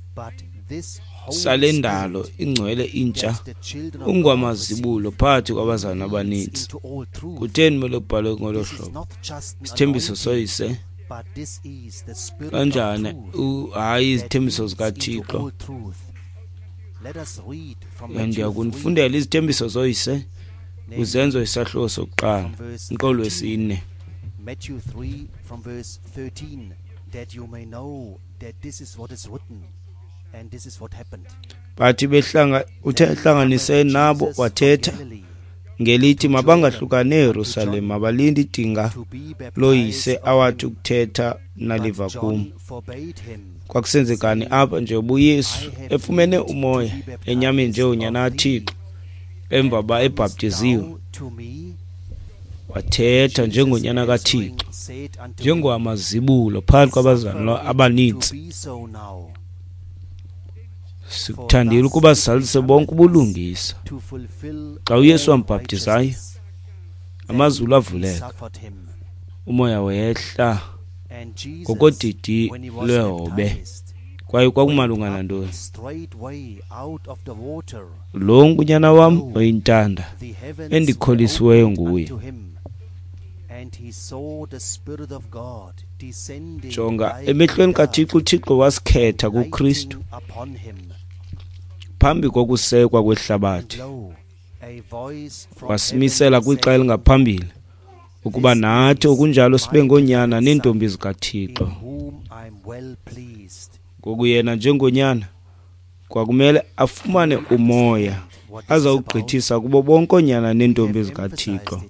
sale ndalo ingcwele intsha, ungwamazibulo phakathi kwabazalwana abaninzi. Kutheni mele kubhalwe ngolo hlobo? Isithembiso soyise kanjani? Hayi, izithembiso zikaThixo. Ndiyakunifundela izithembiso zoyise kuZenzo isahluko sokuqala, umqolo wesine. Matthew three from verse thirteen, that you may know that this is what is written and this is what happened. Bathi behlanga uthe ehlanganise nabo wathetha ngelithi mabangahlukani eYerusalem, mabalinde idinga loyise awathi ukuthetha naliva kum. Kwakusenzekani apha njengoba uYesu efumene umoya enyameni njengonyana kaThixo emva ba ebhaptiziwe, wathetha njengonyana kaThixo, njengowamazibulo phakathi kwabazalwana abaninzi. Sikuthandile ukuba sizalise bonke ubulungisa. Xa uYesu wambhaptizayo, amazulu avuleka, umoya wehla ngokodidi lwehobe. Kwaye kwakumalunga nantoni? Lo ngunyana wam oyintanda, endikholisiweyo nguye. Jonga, emehlweni kaThixo, uThixo wasikhetha kuKristu phambi kokusekwa kwehlabathi, wasimisela kwixa elingaphambili ukuba nathi okunjalo sibe ngoonyana neentombi zikaThixo. Ngoku yena njengonyana kwakumele afumane umoya azawugqithisa kubo bonke oonyana neentombi zikaThixo.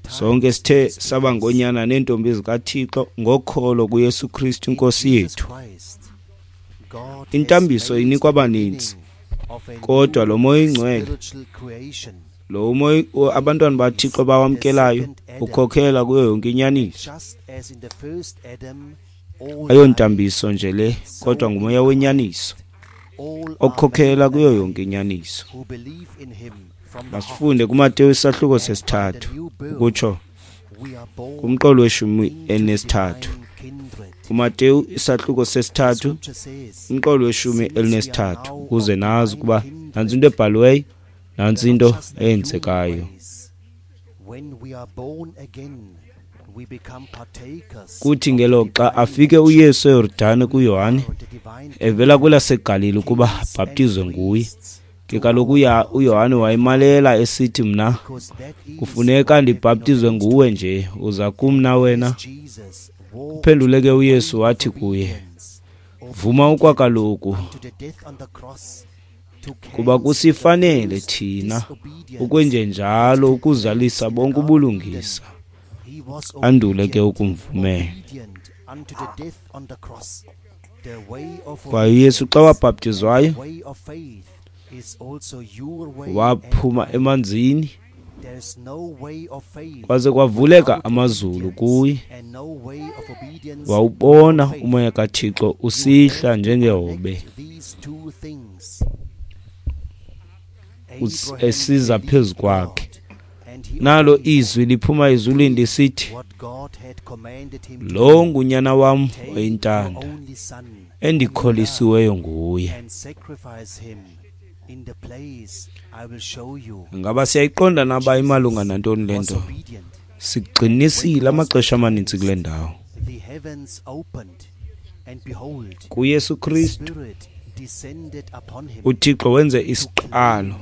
Sonke sithe saba ngoonyana neentombi zikaThixo ngokholo kuYesu Kristu inkosi yethu. Intambiso inikwa abaninzi, kodwa lo Moya oyiNgcwele, lo moya abantwana baThixo bawamkelayo, ukhokhela kuyo yonke inyaniso. Ayontambiso nje le, kodwa ngumoya wenyaniso. Okhokhela kuyo yonke inyaniso. Masifunde kuMateyu isahluko sesithathu, ukutsho kumqolo weshumi elinesithathu. KuMateyu isahluko sesithathu, umqolo weshumi elinesithathu, ukuze nazi ukuba nantsi into ebhaliweyo, nantsi into eyenzekayo. Kuthi ngelo xa afike uYesu eYordane kuYohane, evela kwelaseGalili ukuba abhaptizwe nguye. Ke kaloku uYohane wayemalela esithi, mna kufuneka ndibhaptizwe nguwe nje, uza kum na wena? Uphendule ke uYesu wathi kuye, vuma okwakaloku, kuba kusifanele thina ukwenjenjalo ukuzalisa bonke ubulungisa. Andule ke ukumvumela. Kwaye uYesu xa wabhaptizwayo, waphuma emanzini, kwaze kwavuleka amazulu kuye, wawubona umoya kaThixo usihla njengehobe esiza phezu kwakhe. Nalo izwi liphuma ezulwini lisithi, lo ngunyana wam oyintanda, endikholisiweyo nguye. Ngaba siyayiqonda naba imalunga nantoni le nto? Sigxinisile amaxesha amaninzi kule ndawo. KuYesu Kristu, uThixo wenze isiqalo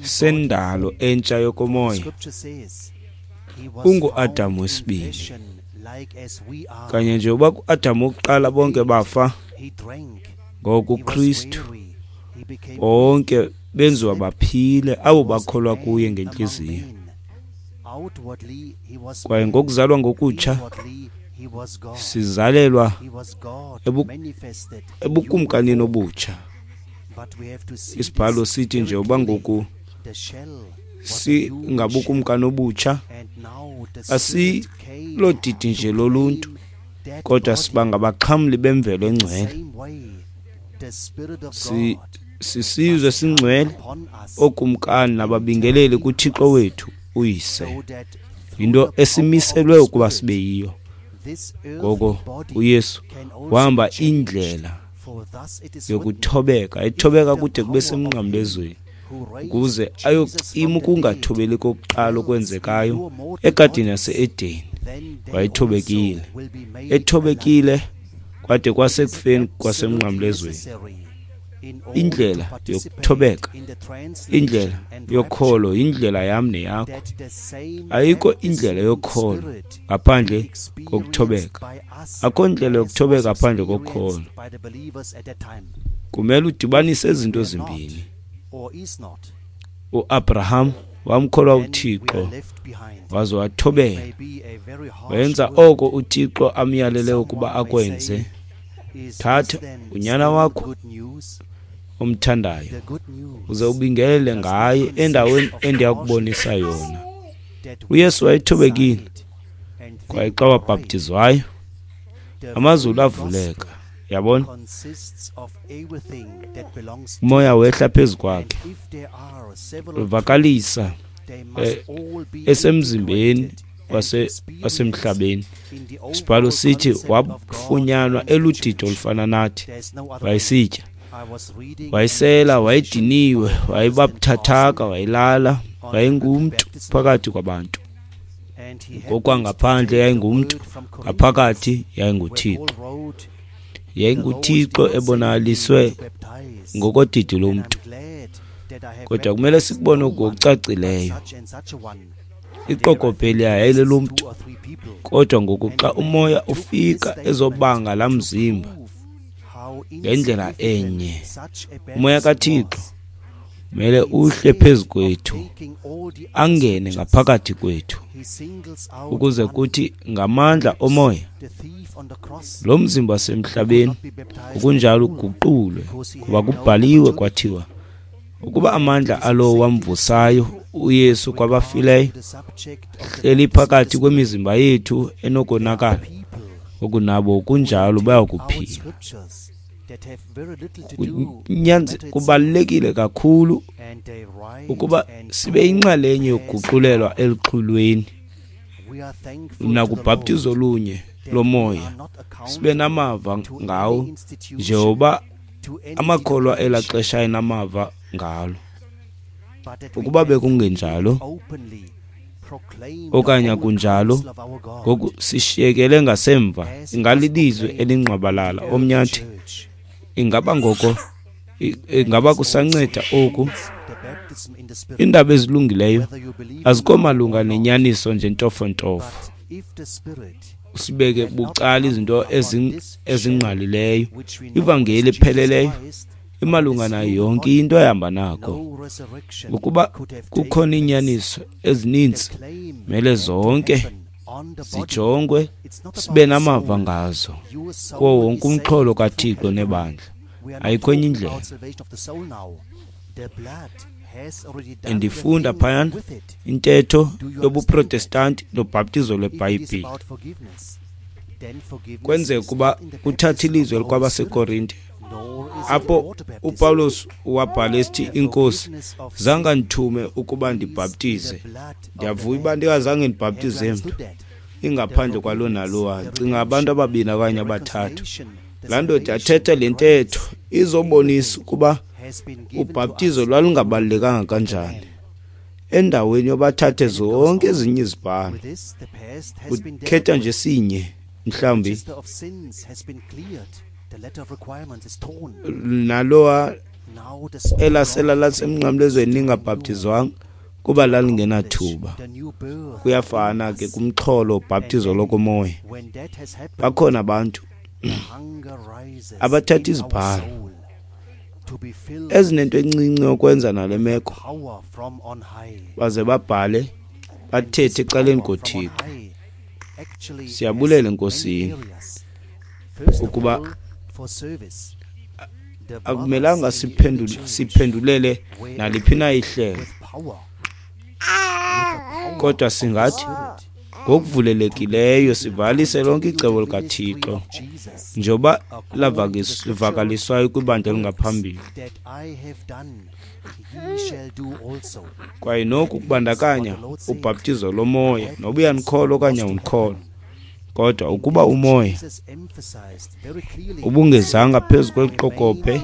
sendalo entsha yokomoya. UnguAdam wesibini. Kanye nje uba kuAdam wokuqala bonke bafa, ngoku Kristu bonke benziwa baphile abo bakholwa kuye ngentliziyo. Kwaye ngokuzalwa ngokutsha sizalelwa ebukumkanini obutsha. Isibhalo sithi nje uba ngoku singabukumkani obutsha, asilodidi nje loluntu, kodwa siba ngabaxhamli bemvelo engcwele. Sisizwe singcwele, ookumkani nababingeleli kuThixo wethu uYise. Yinto esimiselwe ukuba sibe yiyo. Ngoko uYesu wahamba indlela yokuthobeka, ethobeka kude kube semnqamlezweni, ukuze ayocima ukungathobeli kokuqala okwenzekayo egadini yase-Edeni. Wayethobekile, ethobekile kwade kwasekufeni kwasemnqamlezweni. Indlela yokuthobeka, indlela yokholo, indlela yam neyakho. Ayikho indlela yokholo ngaphandle kokuthobeka. Akho ndlela yokuthobeka ngaphandle kokholo. Kumele udibanise izinto ezimbini. UAbraham wamkholwa uThixo waze wathobela, wenza oko uThixo amyalele ukuba akwenze. Thatha unyana wakho omthandayo uze ubingelele ngaye endaweni endiyakubonisa yona. uYesu wayethobekile, kwaye xa wabhaptizwayo amazulu avuleka. Yabona, umoya wehla phezu kwakhe, uvakalisa esemzimbeni wasemhlabeni. Isibhalo sithi wafunyanwa eludidi olufana nathi. Wayesitya, wayesela, wayediniwe, wayebabuthathaka, wayelala, wayengumntu phakathi kwabantu. Ngokwangaphandle yayingumntu, ngaphakathi yayinguThixo. YayinguThixo ebonakaliswe ngokodidi lomntu. Kodwa kumele sikubone ngokucacileyo. Iqokobhe yayilelomntu, kodwa ngoku xa umoya ufika ezobanga laa mzimba ngendlela enye, umoya kaThixo mele uhle phezu kwethu, angene ngaphakathi kwethu, ukuze kuthi ngamandla omoya lo mzimba wasemhlabeni ukunjalo uguqulwe, kuba kubhaliwe kwathiwa ukuba amandla alowo wamvusayo uYesu kwabafileyo hleli phakathi kwemizimba yethu enokonakala, okunabo kunjalo bayakuphila. Kubalulekile kakhulu ukuba sibe yinxalenye yokuguqulelwa eluxhulweni nakubhaptizo olunye lomoya, sibe namava ngawo njengoba amakholwa elaa xesha enamava ngalo. Ukuba bekungenjalo okanye akunjalo, ngoku sishiyekele ngasemva. Ingalilizwi elingqwabalala omnyathi. Ingaba ngoko ingaba kusanceda oku? Iindaba ezilungileyo azikho malunga nenyaniso nje ntofontofo. Usibeke bucala izinto ezingqalileyo. Ivangeli epheleleyo imalunga nayo yonke into ehamba nako. Ukuba kukhona iinyaniso ezininzi, mele zonke zijongwe, sibe namava ngazo kuwo wonke umxholo kaThixo nebandla. Ayikho enye indlela. Ndifunda phayana intetho yobuProtestanti nobhaptizo lweBhayibhile. Kwenzeka ukuba kuthathe ilizwi kwabaseKorinte, apho uPawulos wabhala esithi, iNkosi zange andithume ukuba ndibhaptize. Ndiyavuya uba ndingazange ndibhaptize mntu ingaphandle kwalo nalowa. Cinga abantu ababini okanye abathathu. Laa ndoda yathetha le ntetho izobonisa ukuba ubhaptizo lwalungabalulekanga kanjani. Endaweni yobathathe zonke ezinye izibhalo, ukhetha nje sinye mhlawumbi nalowa elasela lasemnqamlezweni lingabhaptizwanga kuba lalingenathuba. Kuyafana ke kumxholo ubhaptizo lokomoya. Bakhona abantu abathatha izibhalo ezinento encinci yokwenza nale meko, baze babhale bathethe ecaleni koThixo. Siyabulela eNkosini ukuba akumelanga siphendule siphendulele naliphi na ihlelo, kodwa singathi ngokuvulelekileyo sivalise lonke icebo likaThixo njengoba lavakaliswayo kwibandla elingaphambili. Kwaye noku kubandakanya ubhaptizo lomoya, noba uyanikholwa okanye awunikholwa. Kodwa ukuba umoya ubungezanga phezu kweli qokobhe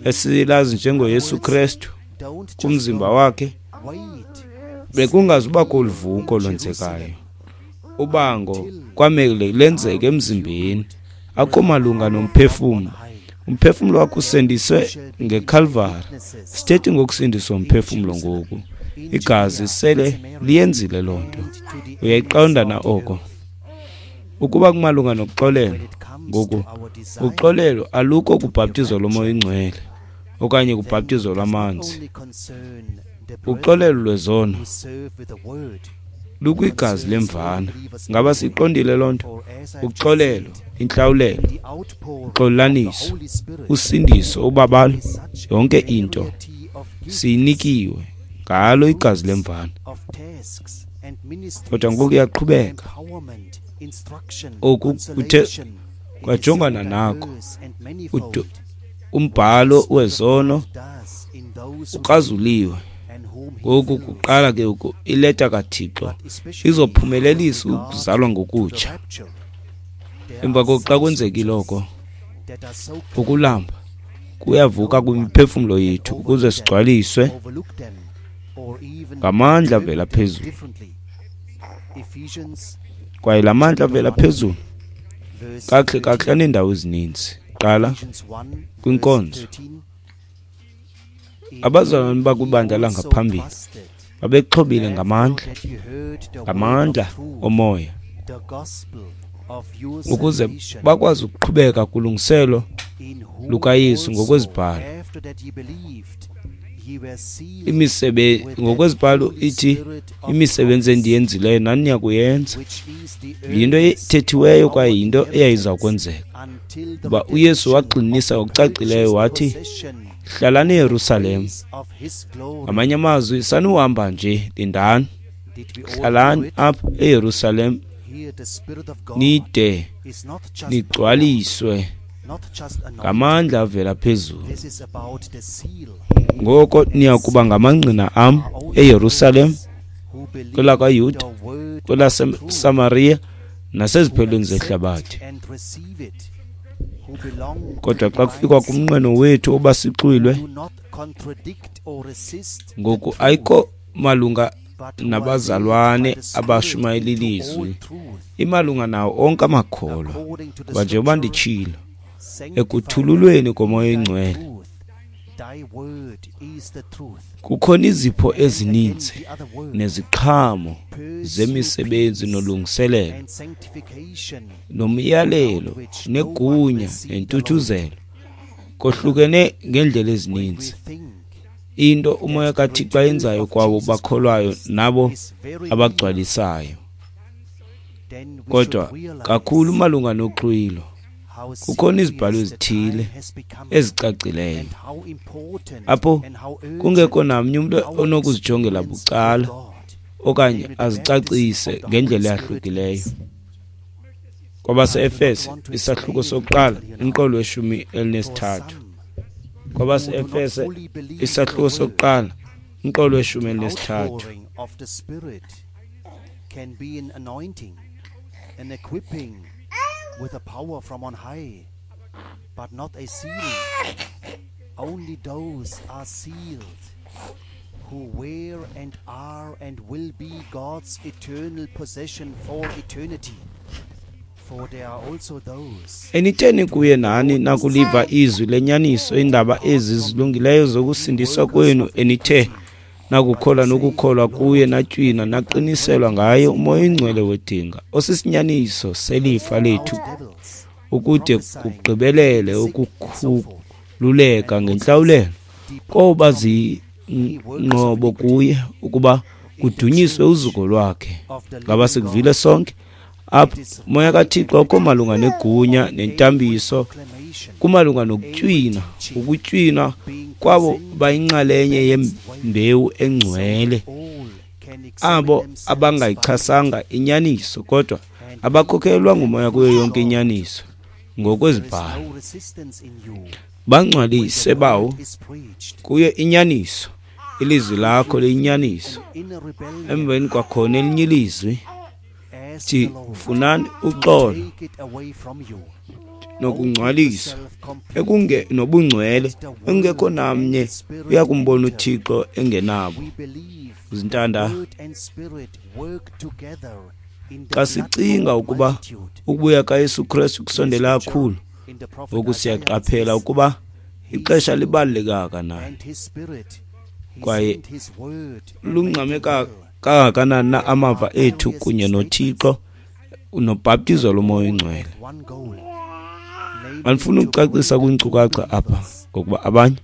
esilazi njengoYesu Krestu kumzimba wakhe, bekungazubakho uluvuko lwenzekayo. Ubango kwamele lenzeke emzimbeni, akho malunga nomphefumlo. Umphefumlo wakho usindiswe ngeKalvari. Sithethi ngokusindiswa umphefumlo ngoku. Igazi sele liyenzile loo nto. Uyayiqonda na oko? Ukuba kumalunga nokuxolelwa ngoku, uxolelo alukho kubhaptizo lomoya oyingcwele okanye kubhaptizo lwamanzi. Uxolelo lwezono lukwigazi lemvana. Ngaba siqondile loo nto? Uxolelo, intlawulelo, uxolelaniso, usindiso, ubabalo, yonke into siyinikiwe ngalo igazi lemvana. Kodwa ngoku iyaqhubeka. Oku kuthe kwajongana nako. Umbhalo wezono ukrazuliwe. Ngoku kuqala ke ileta kaThixo izophumelelisa ukuzalwa ngokutsha. Emva koko xa kwenzekile oko, ukulamba kuyavuka kwimiphefumlo yethu ukuze sigcwaliswe ngamandla avela phezulu. Kwaye la mandla avela phezulu kakuhle kakuhle aneendawo ezininzi. Qala kwinkonzo. Abazalwane bakwibandla langaphambili babexhobile ngamandla, ngamandla omoya, ukuze bakwazi ukuqhubeka kulungiselo lukaYesu ngokwezibhalo. Imisebe ngokwezibhalo ithi imisebenzi endiyenzileyo nani niyakuyenza. Yinto ethethiweyo kwaye yinto eyayiza kwenzeka. Kuba uYesu wagxininisa ngokucacileyo wathi, hlalani eYerusalem. Ngamanye amazwi, sanuhamba nje, lindani. Hlalani apha eYerusalem nide nigcwaliswe Ngamandla avela phezulu. Ngoko niya kuba ngamangqina am eYerusalem, kwelakwaYuda, kwelaseSamariya naseziphelweni zehlabathi. Kodwa xa kufikwa kumnqweno wethu oba sixwilwe, ngoku ayikho malunga nabazalwane abashumayela ilizwi, imalunga nawo onke amakholwa. Kuba njengoba nditshilo, ekuthululweni koMoya oyiNgcwele kukhona izipho ezininzi neziqhamo zemisebenzi nolungiselelo nomyalelo negunya nentuthuzelo, kohlukene ngeendlela ezininzi. Into uMoya kaThixo ayenzayo kwabo bakholwayo nabo abagcwalisayo. Kodwa kakhulu malunga noxwilo, kukhona izibhalo ezithile ezicacileyo apho kungekho namnye umntu onokuzijongela bucala okanye azicacise ngendlela eyahlukileyo. Kwabase-Efese isahluko sokuqala umqolo weshumi elinesithathu. Kwabase-Efese isahluko sokuqala umqolo weshumi elinesithathu. With a power from on high, but not a sealing. Only those are sealed who were and are and will be God's eternal possession for eternity. For there are also those. Enitheni kuye nani nakuliva izwi lenyaniso, indaba ezi zilungileyo zokusindiswa kwenu, enithe nakukholwa nokukholwa kuye natywina naqiniselwa ngaye uMoya oyiNgcwele wedinga, osisinyaniso selifa lethu, ukude kugqibelele ukukhululeka ngentlawulelo, koba zinqobo kuye ukuba kudunyiswe uzuko lwakhe. Ngaba sikuvile sonke apha? Umoya kaThixo akho malunga negunya nentambiso, kumalunga nokutywina, ukutywina kwabo bayinxalenye yembewu engcwele, abo abangayichasanga inyaniso kodwa abakhokhelwa ngumoya kuyo yonke inyaniso ngokwezibhalo. Bangcwalise bawo kuyo inyaniso, ilizwi lakho liyinyaniso. Emveni kwakhona elinye ilizwi thi, funani uxolo nokungcwaliswa ekunge nobungcwele, engekho namnye uyakumbona uThixo engenabo. Zintanda, xa sicinga ukuba ukubuya kaYesu Kristu kusondela kakhulu, ngoku siyaqaphela ukuba ixesha libaluleke kangakanani kwaye lungxame kangakanani na amava ethu kunye noThixo nobhaptizo loMoya oyiNgcwele. Andifuni ukucacisa kwiinkcukacha apha, ngokuba abanye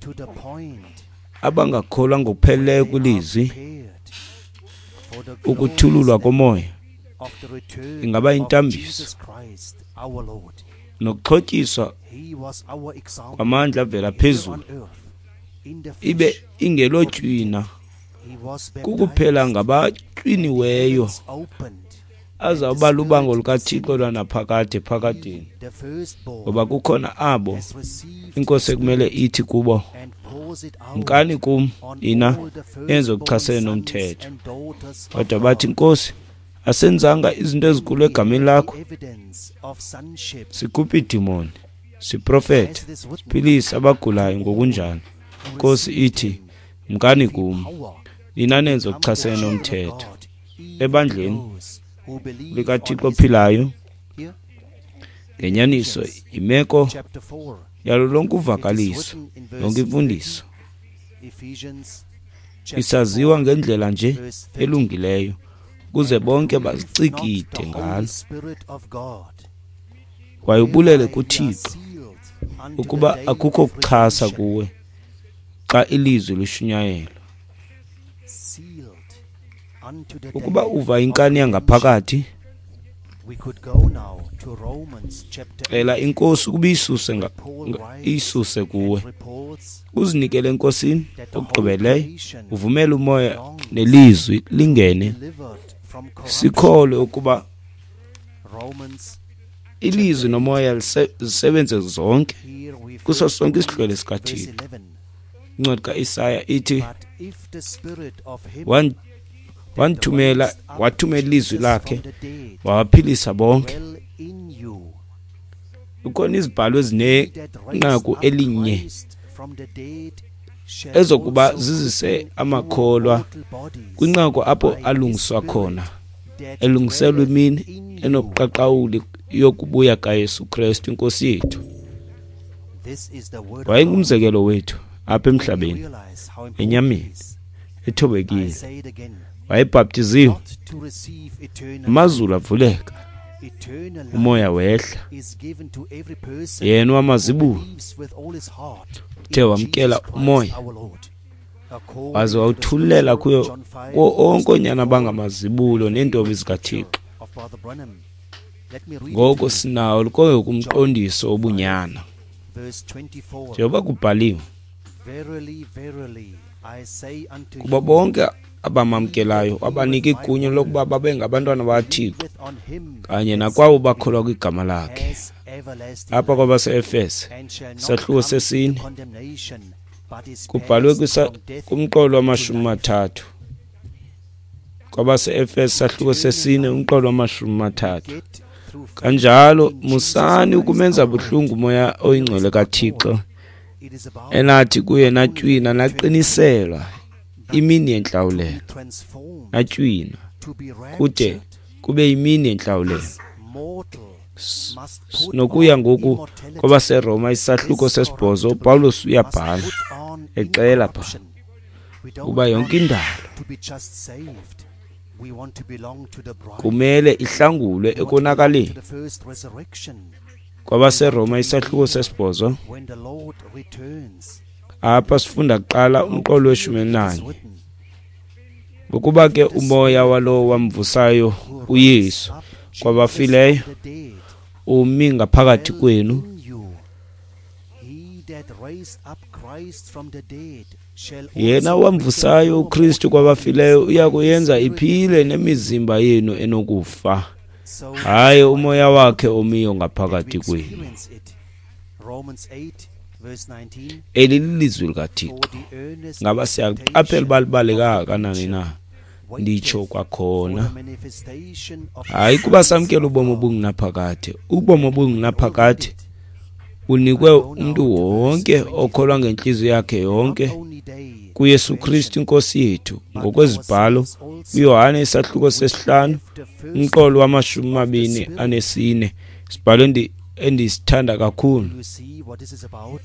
abangakholwa ngokupheleleyo kwilizwi, ukuthululwa komoya ingaba yintambiso nokuxhotyiswa kwamandla avela phezulu, ibe ingelotywina kukuphela ngabatywiniweyo azawuba lubango lukaThixo lwanaphakade phakadeni. Ngoba kukhona abo iNkosi ekumele ithi kubo, mkani kum nina nenze okuchasene nomthetho. Kodwa bathi, Nkosi, asenzanga izinto ezinkulu egameni lakho? Sikhupha iidimoni, siprofethe, siphilise abagulayo ngokunjalo. Nkosi ithi, mkani kum nina nenze okuchasene nomthetho. Ebandleni likaThixo ophilayo ngenyaniso imeko yalo lonke uvakaliso, yonke imfundiso isaziwa ngendlela nje elungileyo, ukuze bonke bazicikide ngalo. Kwaye ubulele kuThixo ukuba akukho kuchasa kuwe xa ilizwi lishunyayelwa. Ukuba uva inkani yangaphakathi, cela iNkosi ukuba iyisuse iyisuse kuwe, uzinikele eNkosini okugqibeleyo, uvumele umoya nelizwi lingene. Sikholwe ukuba ilizwi nomoya zisebenze zonke Here we kuso first sonke read isihlwele verse sikaThixo. eleven. Incwadi kaIsaya ithi But if the spirit of him wan- that wanthumela raised up wathumela ilizwi Jesus lakhe from the dead wabaphilisa bonke. dwell in you, Kukhona izibhalo he that raised ezinenqaku up elinye Christ from the dead shall ezokuba also zizise quicken your amakholwa mortal bodies kwinqaku apho by his alungiswa spirit khona that elungiselwa dwelleth imini in you. enobuqaqawuli yokubuya kaYesu Kristu inkosi yethu. This is the word of God. Wayengumzekelo wethu apha We emhlabeni realize how important enyameni it is. I ethobekile. say it again, Wayebhaptiziwe, not to receive eternal amazulu avuleka, eternal life umoya wehla, is given to every person yena who wamazibulo believes with all his heart uthe in wamkela Jesus Christ umoya our Lord. According waze to the wawuthululela scripture, kuyo John five, kuwo verse onke oonyana twenty-four, bangamazibulo neentombi zikaThixo. of Brother Branham. Let me read it Ngoko to you. sinawo konke kumqondiso wobunyana Verse twenty-four. njengoba kubhaliwe, Verily, verily, I say unto kuba you, bonke abamamkelayo wabanika igunya lokuba babe ngabantwana bakaThixo believeth on him kanye that nakwabo sent me bakholwa kwigama lakhe. has everlasting Apha life, kwabase-Efese and shall not isahluko come into sesine condemnation, but is kubhalwe passed kwisa- from death kumqolo to wamashumi life. mathathu. Kwabase-Efese isahluko sesine umqolo wamashumi mathathu. Get through faith Kanjalo in Jesus musani Christ ukumenza our Lord. buhlungu umoya oyingcwele kaThixo It is about enathi kuye natywina naqiniselwa but imini to yentlawulelo, be transformed, natywina to be kude raptured. kube yimini yentlawulelo. This mortal must put Nokuya on ngoku immortality. kwabaseRoma isahluko This sesibhozo corruptible uPawulos must uyabhala put on exela pha incorruption. We don't uba yonke want indalo to be just saved. We want to belong to the bride. kumele ihlangulwe We want to belong ekonakaleni. to the first resurrection KwabaseRoma isahluko sesibhozo when the Lord returns. apha sifunda kuqala How umqolo clearly weshumi it is elinanye. written, Ngokuba ke the umoya Spirit walowo wamvusayo who raised uYesu up Jesus kwabafileyo from the dead umi ngaphakathi dwell kwenu, in you. He that raised up Christ from the dead shall yena also quicken wamvusayo your uKristu mortal kwabafileyo bodies uya by his kuyenza Spirit iphile nemizimba yenu enokufa, So hayi it's umoya quite wakhe omiyo that we ngaphakathi kwenu. experience it. Romans eight verse nineteen. Eli lilizwi likaThixo. For the earnest Ngaba siyaqaphela expectation uba libaluleke of the kangakanani creature na? Nditsho waiteth for kwakhona, the manifestation of the hayi kuba sons samkela of ubomi God. obungunaphakade. Ubomi We obungunaphakade already did. bunikwe I go now umntu to verse wonke okholwa twenty-three. ngentliziyo yakhe Not yonke only they kuYesu mention, Kristu inkosi yethu but ngokwezibhalo ourselves also, uYohane isahluko which sesihlanu have the first umqolo fruit wamashumi of the mabini Spirit. anesine, isibhalo endi- endisithanda kakhulu. Do you see what this is about?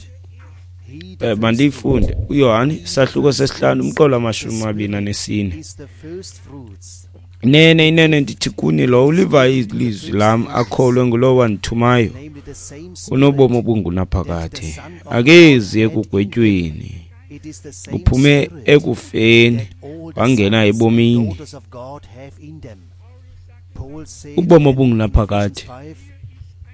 He the Eh, first fruit. mandiyifunde uYohane He isahluko first sesihlanu fruits. umqolo The wamashumi mabini Spirit anesine. is the first fruits. Inene inene ndithi kuni lowo ulivayo The ilizwi first lam fruits, akholwe ngulowo wandithumayo namely the same unobomi Spirit that the obungunaphakade, Son of God akezi had in him. ekugwetyweni, It is the same uphume Spirit ekufeni that all the wangena sons and ebomini. daughters of God have in them. Paul said Ubomi in obungunaphakade Ephesians five,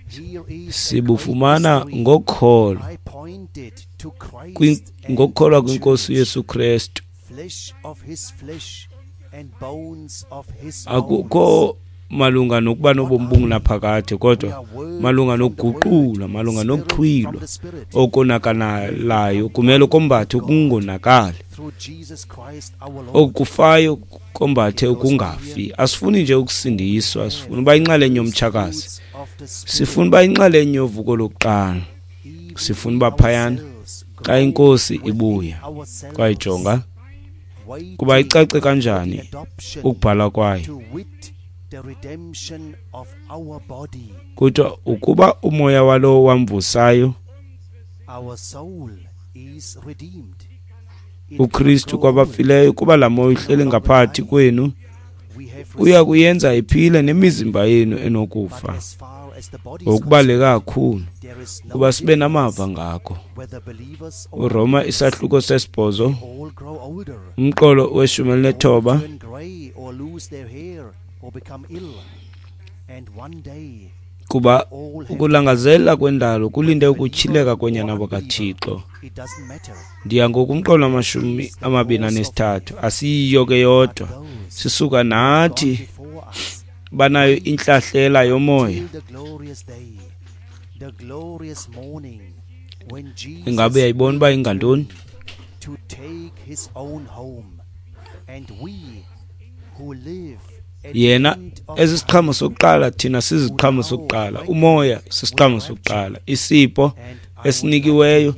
here is a great sibufumana mystery. ngokholo I pointed to kwin- Christ and ngokukholwa the kwinkosi church, uYesu Kristu. flesh of his flesh and bones of his bones. Akukho malunga nokuba What nobomi are we? obungunaphakade We kodwa are word malunga from the word, nokuguqulwa, malunga spirit from nokuxhwilwa the spirit. okonakalalayo We have become kumele one kombathe with God ukungonakali, through Jesus Christ our Lord. okufayo kombathe It goes on ukungafi. here. Asifuni nje Who ukusindiswa, have sifuna uba the yinxalenye first yomtshakazi, fruits of the sifuna Spirit, uba yinxalenye yovuko lokuqala, even sifuna we uba phayana ourselves xa groan inkosi within ibuya. ourselves, Kwayijonga kuba waiting icace for the kanjani adoption, ukubhala kwayo. to wit, the redemption of our body. Kuthiwa ukuba umoya walowo wamvusayo Our soul is redeemed. It cannot uKristu grow old. kwabafileyo, kuba laa moya It can no uhleli longer ngaphakathi die. kwenu We have uya received kuyenza iphile eternal life. nemizimba yenu But enokufa. as far as the body is Ngokubaluleke concerned, kakhulu there is no kuba sibe namava difference ngako. whether believers or uRoma unbelievers. isahluko sesibhozo They all grow older. umqolo weshumi They all elinethoba turn grey or lose their hair or become ill. And one day kuba they all have to die. ukulangazelela kwendalo kulinde Whether believer ukutyhileka or koonyana unbeliever, bakaThixo. it doesn't matter. Ndiya ngokumqolo wamashumi It is the amabini course of anesithathu life. asiyiyo ke But yodwa those sisuka who have gone nathi before us Banayo intlahlela yomoya. Ingabe uyayibona uba ingantoni? Yena ezisiqhamo sokuqala, thina siziqhamo sokuqala. Umoya sisiqhamo sokuqala, isipho esinikiweyo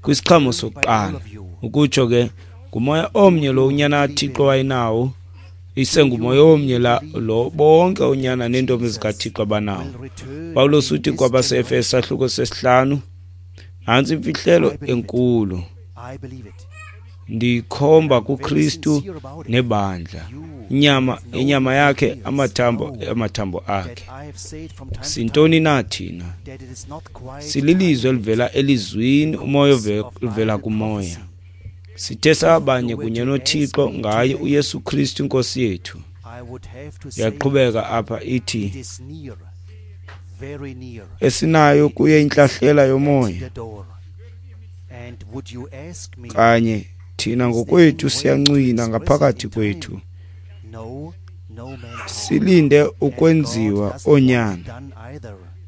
kwisiqhamo sokuqala. Ukutsho ke ngumoya omnye lo unyana kaThixo wayenawo, isengumoya omnye la lo bonke unyana neentombi zikaThixo abanawo. Pawulos uthi kwabaseEfeso sahluko sesihlanu, nantsi imfihlelo enkulu, ndikhomba kuKristu nebandla, inyama inyama yakhe, amathambo amathambo akhe. Sintoni na thina? Sililizwi elivela elizwini, umoya ovela kumoya. Sithe sabanye kunye noThixo ngaye uYesu Kristu inkosi yethu. Yaqhubeka apha ithi esinayo kuye intlahlela yomoya. Kanye thina ngokwethu siyancwina ngaphakathi kwethu, silinde ukwenziwa onyana,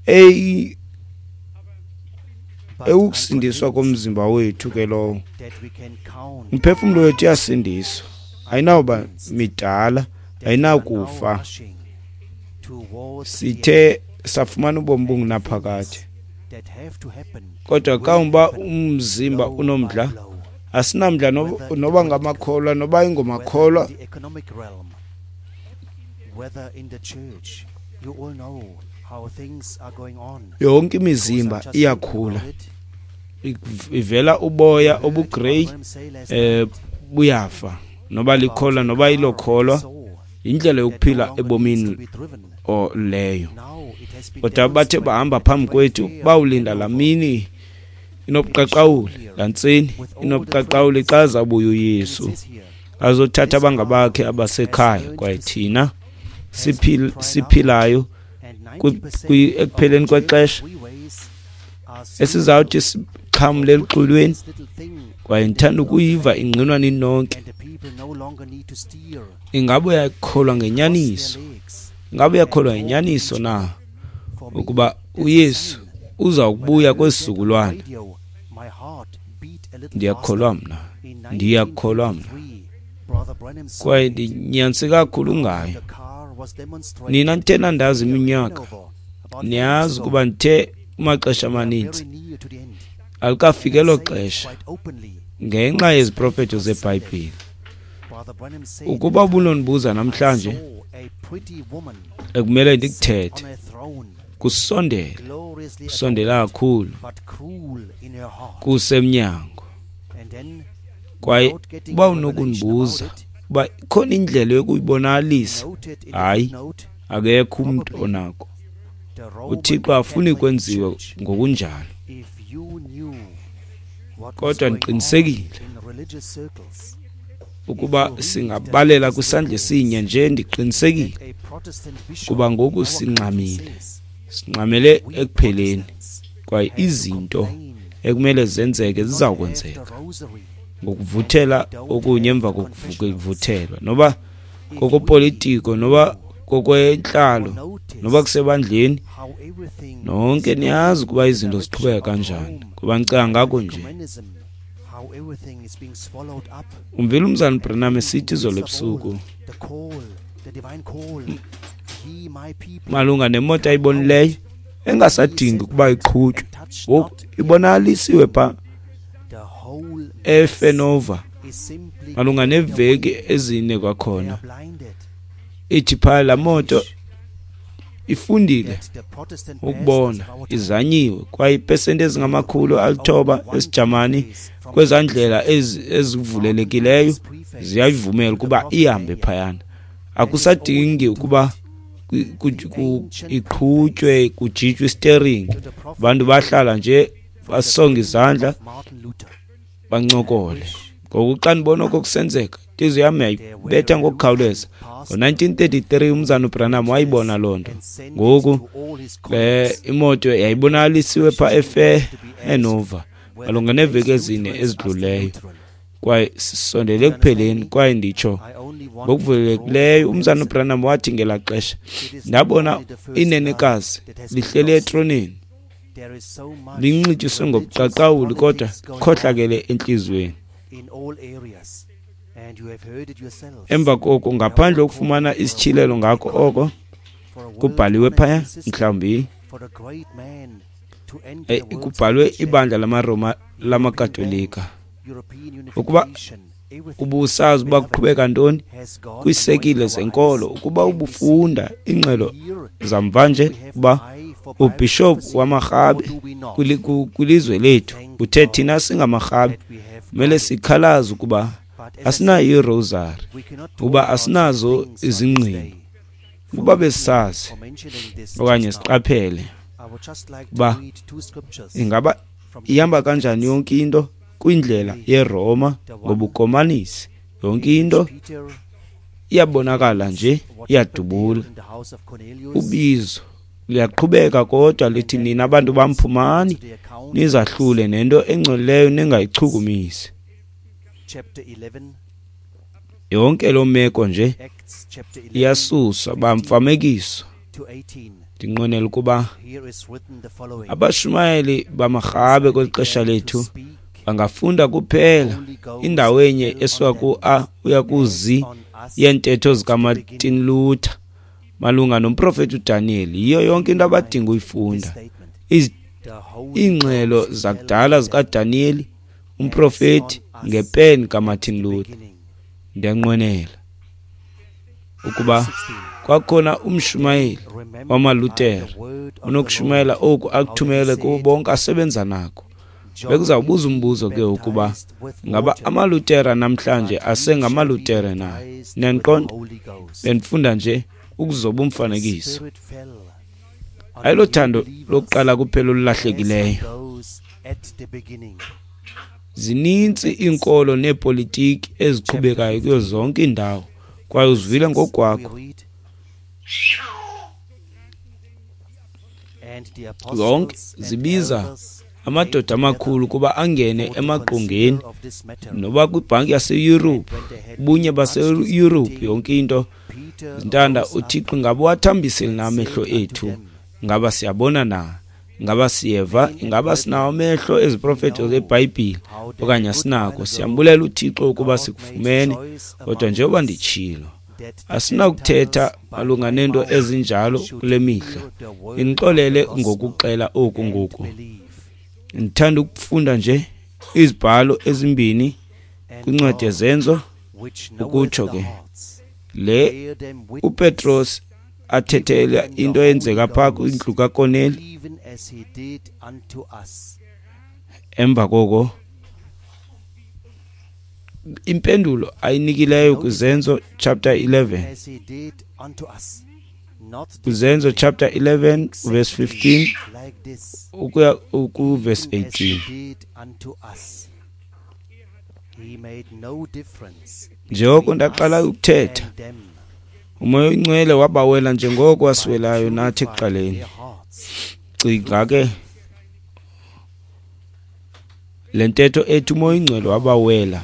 eyi ewukusindiswa komzimba wethu ke lowo. Umphefumlo wethu uyasindiswa, ayinawuba midala, ayinakufa. Sithe safumana ubomi obungunaphakade, kodwa kawuba umzimba unomdla, asinamdla noba ngamakholwa noba ingomakholwa. Yonke imizimba iyakhula, ivela uboya obugrey, eh buyafa, noba likholwa noba ilokholwa, indlela yokuphila ebomini leyo. Kodwa bathe bahamba phambi kwethu, bawulinda lamini inobuqaqawuli, lantseni inobuqaqawuli xa zabuya uYesu azothatha abangabakhe abasekhaya. Kwaye thina siphilayo ekupheleni kwexesha esizawuthi sixhamle eluxolweni. Kwaye ndithanda ukuyiva ingqinwa ninonke. Ingabe uyakholwa ngenyaniso? Ingabe uyakholwa ngenyaniso na ukuba uYesu uza kubuya kwesizukulwana? Ndiyakholwa mna, ndiyakholwa mna, kwaye ndinyanise kakhulu ngayo. Nina nithe nandazi iminyaka, niyazi ukuba ndithe kumaxesha amaninzi alikafiki elo xesha ngenxa yeziprofeto zeBhayibhile. Ukuba ubunondibuza namhlanje, ekumele ndikuthethe, kusondele, kusondela kakhulu, kusemnyango. Kwaye uba unokundibuza uba ikhona indlela yokuyibonakalisa, hayi, akekho umntu onako. UThixo afuni kwenziwe ngokunjalo. Kodwa ndiqinisekile ukuba singabalela kwisandla esinye nje, ndiqinisekile kuba ngoku singxamile, singxamele ekupheleni, kwaye izinto ekumele zenzeke ziza kwenzeka ngokuvuthela okunye emva kokuvuthelwa, noba kokopolitiko, noba kokwentlalo, noba kusebandleni. Nonke niyazi ukuba izinto ziqhubeka kanjani, kuba ndicinga ngako nje. Umvile umzana Branham esithi izolo ebusuku malunga nemoto ayibonileyo engasadingi ukuba iqhutywe, ngoku ibonakalisiwe pha eFenova malunga neveki ezine kwakhona. Ithi pha la moto ifundile ukubona, izanyiwe, kwaye ipesenti ezingamakhulu alithoba esiJamani kwezandlela ezivulelekileyo ziyayivumela ukuba ihambe phayana. Akusadingi ukuba iqhutywe kujijwe steering, abantu bahlala nje basonge izandla bancokole. Ngoku xa ndibona oko kusenzeka, intliziyo yam yayibetha ngokukhawuleza. Ngo-nineteen thirty-three umzana uBranham wayibona loo nto. Ngoku le imoto yayibonakalisiwe pha eFenova malunga neeveki ezine ezidluleyo. Kwaye sisondele ekupheleni, kwaye nditsho ngokuvulekileyo. Umzana uBranham wathi ngelaa xesha, ndabona inenekazi lihleli etroneni, linxityiswe ngobuqaqawuli kodwa khohlakele entliziyweni. Emva koko, ngaphandle kokufumana isityhilelo ngako oko kubhaliwe phaya, mhlawumbi kubhalwe ibandla lamaRoma lamaKatolika, ukuba ubusazi uba kuqhubeka ntoni kwiisekile zenkolo, ukuba ubufunda iingxelo zamvanje uba ubhishophu wamaRhabe kwilizwe lethu uthe thina singamaRhabe kumele sikhalaze ukuba asinayo irosari, ukuba asinazo izingqino. Ukuba besisazi okanye siqaphele uba ingaba ihamba kanjani yonke into kwindlela yeRoma ngobukomanisi, yonke into iyabonakala nje iyadubula. Ubizo liyaqhubeka, kodwa lithi nina abantu bam phumani nizahlule nento engcolileyo ningayichukumisi. Yonke loo meko nje iyasuswa, bamfamekiso. Ndinqwenela ukuba abashumayeli bamaRhabe kweli xesha lethu bangafunda kuphela indawo enye esuka ku-A uya ku-Z yeentetho zikaMartin Luther malunga nomprofeti uDaniel. Yiyo yonke into abadinga uyifunda. Iingxelo zakudala zikaDaniel umprofeti ngepeni kaMartin Luther. Ndiyanqwenela ukuba kwakhona umshumayeli wamaLuthere unokushumayela oku akuthumele kubo bonke asebenza nako. Bekuzawubuza umbuzo ke ukuba ngaba amaLutera namhlanje asengamaLutere na? Niyandiqonda? Bendifunda nje ukuzoba umfanekiso. Ayilothando lokuqala kuphela olulahlekileyo. Zininzi iinkolo neepolitiki eziqhubekayo kuyo zonke iindawo, kwaye uzivile ngokwakho. Zonke zibiza amadoda amakhulu kuba angene emaqongeni, noba kwibhanki yaseYurophu, ubunye baseYurophu, yonke into. Zintanda uThixo ngaba uwathambisile na amehlo ethu? Ngaba siyabona na? Ngaba siyeva? Ingaba sinawo amehlo eziprofeto zeBhayibhile okanye asinako? Siyambulela uThixo ukuba sikufumene, kodwa njengoba nditshilo, asinakuthetha malunga nento ezinjalo kule mihla. Ndinixolele ngokuxela oku ngoku. Ndithanda ukufunda nje izibhalo ezimbini kwincwadi yeZenzo, ukutsho ke le uPetros athethela into eyenzeka phaa kwindlu kaKorneli. Emva koko impendulo ayinikileyo kwiZenzo chapter eleven, kwiZenzo chapter eleven verse fifteen ukuya ku verse eighteen. Njengoko ndaqala ukuthetha, uMoya oyiNgcwele wabawela njengoko wasiwelayo nathi ekuqaleni. Cinga ke le ntetho ethi uMoya oyiNgcwele wabawela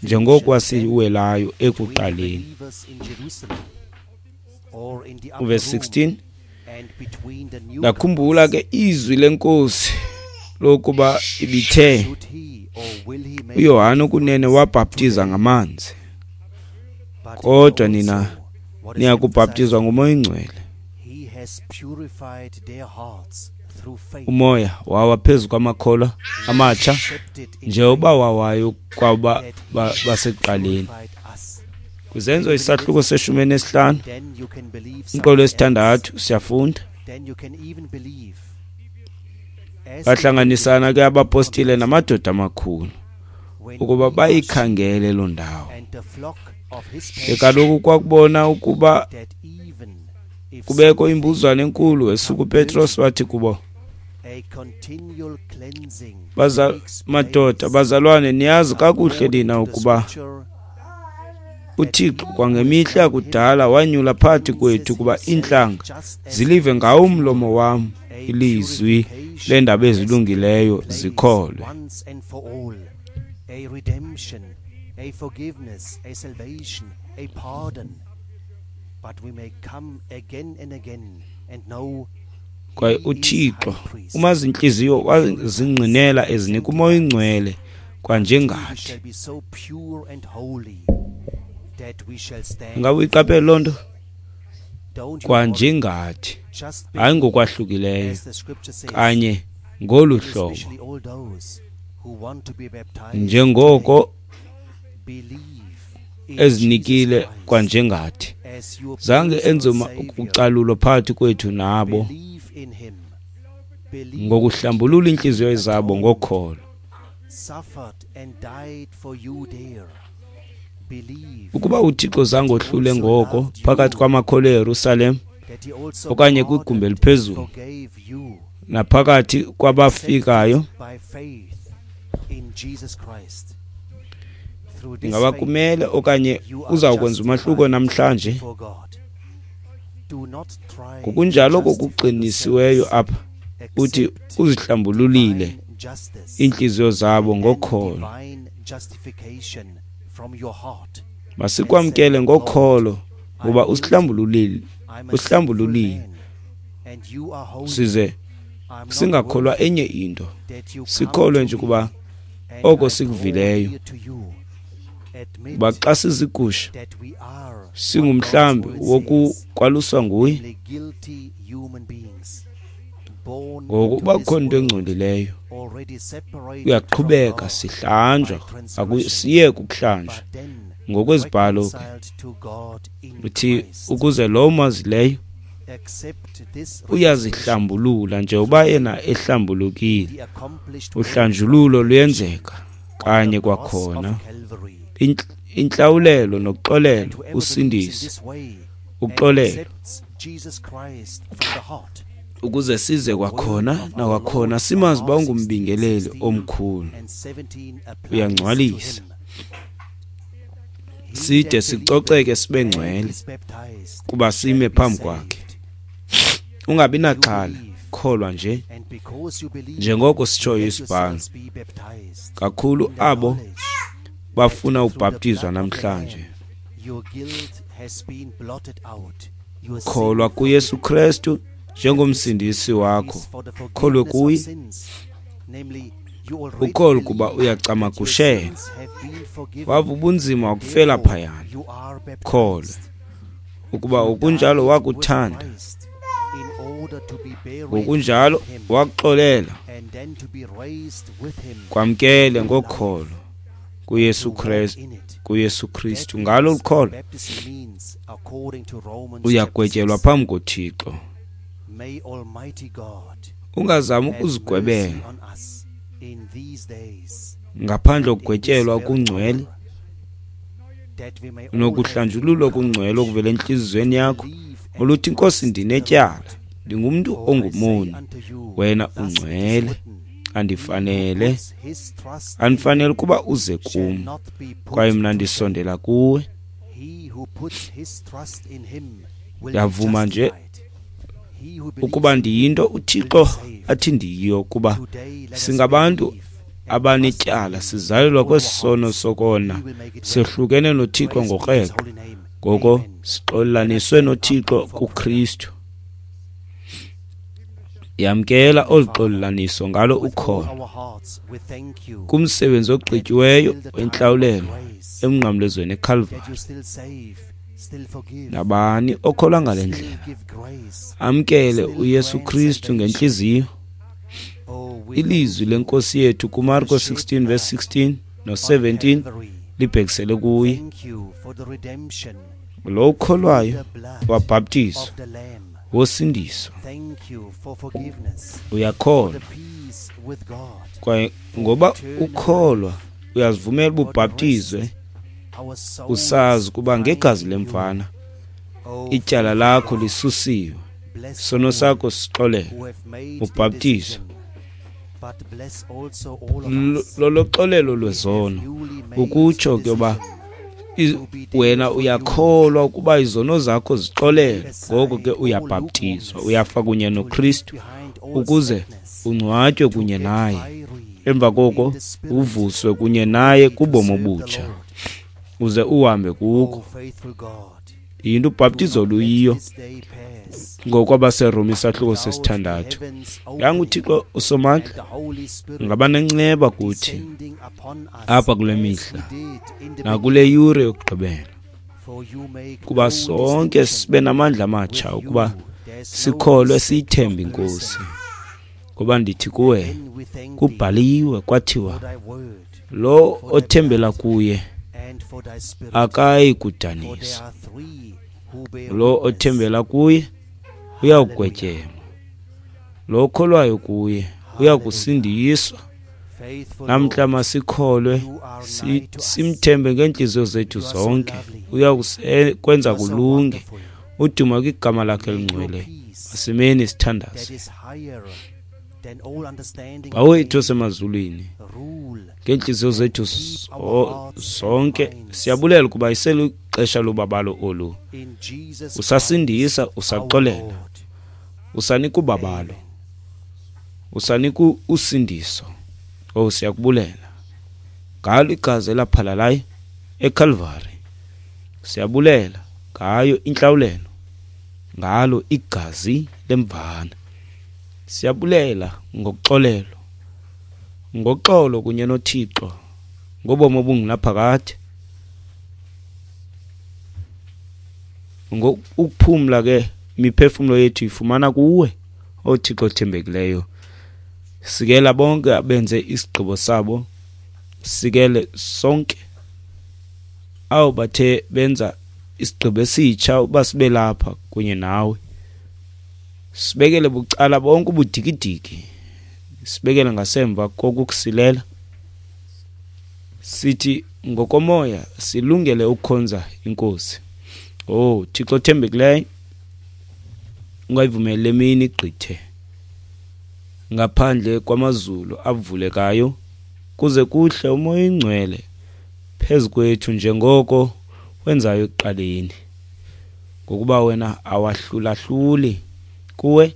njengoko wasiwelayo ekuqaleni. Verse sixteen, ndakhumbula ke izwi lenkosi lokuba ibithe uYohane kunene wabhaptiza ngamanzi, kodwa nina niyakubhaptizwa ngoMoya oyiNgcwele. Umoya wawa phezu kwamakholwa amatsha njengoba wawayo kwaba basekuqaleni. Kwizenzo isahluko seshumi nesihlanu umqolo wesithandathu siyafunda. Bahlanganisana ke abapostile namadoda amakhulu ukuba bayikhangele loo ndawo. Ke kaloku kwakubona ukuba kubekho imbuzwane enkulu, esuka uPetros wathi kubo, Baza madoda, bazalwane, niyazi kakuhle nina ukuba uThixo kwangemihla yakudala wanyula phakathi kwethu ukuba iintlanga zilive ngawo umlomo wam ilizwi leendaba ezilungileyo zikholwe. a forgiveness, a salvation, a pardon. But we may come again and again and know Kwaye uThixo umazi intliziyo wazingqinela ezinika uMoya oyiNgcwele kwanjengathi. Ingaba uyiqaphele loo nto? Kwanjengathi, hayi ngokwahlukileyo, kanye ngolu hlobo. Njengoko ezinikile kwanjengathi, zange enze ukucalulwa phakathi kwethu nabo ngokuhlambulula iintliziyo zabo ngokholo. Ukuba uThixo zange ohlule ngoko phakathi kwamakholwa eYerusalem okanye kwigumbi eliphezulu naphakathi kwabafikayo, ingaba kumele okanye uzawukwenza umahluko namhlanje? Ngokunjalo kokuqinisiweyo apha uthi uzihlambululile iintliziyo zabo ngokholo. Masikwamkele ngokholo ngoba usihlambululile, usihlambululile size singakholwa enye into, sikholwe nje kuba oko sikuvileyo. Kuba xa sizigusha singumhlambi wokukwaluswa nguye. Ngoku uba kukhona into engcolileyo, uyaqhubeka sihlanjwa, akusiyeki ukuhlanjwa ngokwezibhalo ke uthi ukuze lo mazileyo uyazihlambulula njengoba yena ehlambulukile. Uhlanjululo luyenzeka kanye kwakhona, intlawulelo nokuxolelo, usindiso, uxolelo, ukuze size kwakhona nakwakhona simazi uba ungumbingeleli omkhulu, uyangcwalisa side sicoceke sibe ngcwele kuba sime phambi kwakhe. Ungabi naxhala, kholwa nje njengoko sitshoyo isibhalo. Kakhulu abo bafuna ubhaptizwa namhlanje, kholwa kuYesu Kristu njengomsindisi wakho, kholwe kuye, ukholwe kuba uyacamagushela, wava ubunzima wakufela phayana, kholwe ukuba ukunjalo wakuthanda, ngokunjalo wakuxolela, kwamkele ngokholo kuYesu Kristu, kuYesu Kristu. Ngalo ukholo uyagwetyelwa phambi koThixo. Ungazami ukuzigwebela ngaphandle kokugwetyelwa okungcwele nokuhlanjululwa okungcwele okuvela entliziyweni yakho, oluthi Nkosi, ndinetyala, ndingumntu ongumoni, wena ungcwele, andifanele andifanele ukuba uze kum, kwaye mna ndisondela kuwe. Ndiyavuma nje ukuba ndiyinto uThixo athi ndiyiyo, kuba singabantu abanetyala, sizalelwa kwesisono sokona, sehlukene noThixo ngokreqo, ngoko sixolelaniswe noThixo kuKristu. Yamkela olu xolelaniso ngalo ukholo kumsebenzi ogqityiweyo wentlawulelo emnqamlezweni eKalvari. Nabani okholwa ngale ndlela amkele uYesu Kristu ngentliziyo. Ilizwi lenkosi yethu kuMarko sixteen verse sixteen no seventeen libhekisele kuye. Lo ukholwayo wabhaptizwa wosindiswa. Uyakholwa, kwaye ngoba ukholwa uyazivumela ubhaptizwe, usazi kuba ngegazi lemvana ityala lakho lisusiwe, sono sakho sixolelwe, ubhaptizwe. Loloxolelo lwezono, ukutsho ke uba wena uyakholwa ukuba izono zakho zixolelwe, ngoko ke uyabhaptizwa, uyafa kunye noKristu ukuze ungcwatywe kunye naye, emva koko uvuswe kunye naye kubomi obutsha. uze uhambe kuko. Yinto ubhaptizo luyiyo ngokwabaseRoma isahluko sesithandathu. Yanga uThixo uSomandla ngaba nenceba kuthi apha kule mihla nakule yure yokugqibela, kuba sonke sibe namandla amatsha ukuba sikholwe siyithembe iNkosi. Ngoba ndithi kuwe, kubhaliwe kwathiwa, lo othembela kuye akayi kudaniswa, lo othembela kuye uyawugwetyelwa, lo okholwayo kuye uyakusindiswa. Namhla masikholwe, simthembe ngeentliziyo zethu zonke, uyakwenza kulunge. Uduma kwigama lakhe elingcwele. Masimeni sithandaze. Bawo wethu osemazulwini, ngeentliziyo zethu zonke siyabulela ukuba iselixesha lobabalo olu. Usasindisa, usaxolela, usanika ubabalo, usanika usindiso. Oh, siyakubulela ngalo igazi elaphalalayo eCalvary. Siyabulela ngayo intlawulelo, ngalo igazi lemvana. Siyabulela ngokuxolelo, ngoxolo kunye noThixo, ngobomi obungunaphakade, ngokuphumla ke imiphefumlo yethu ifumana kuwe, oThixo othembekileyo. Sikela bonke abenze isigqibo sabo, sikele sonke awu bathe benza isigqibo esitsha uba sibe lapha kunye nawe. Sibekele bucala bonke ubudikidiki, sibekele ngasemva kokukusilela. Sithi ngokomoya silungele ukukhonza iNkosi. Oh Thixo othembekileyo, ungayivumeli le mini igqithe ngaphandle kwamazulu avulekayo, kuze kuhle uMoya oyiNgcwele phezu kwethu njengoko wenzayo ekuqaleni. Ngokuba wena awahlulahluli, kuwe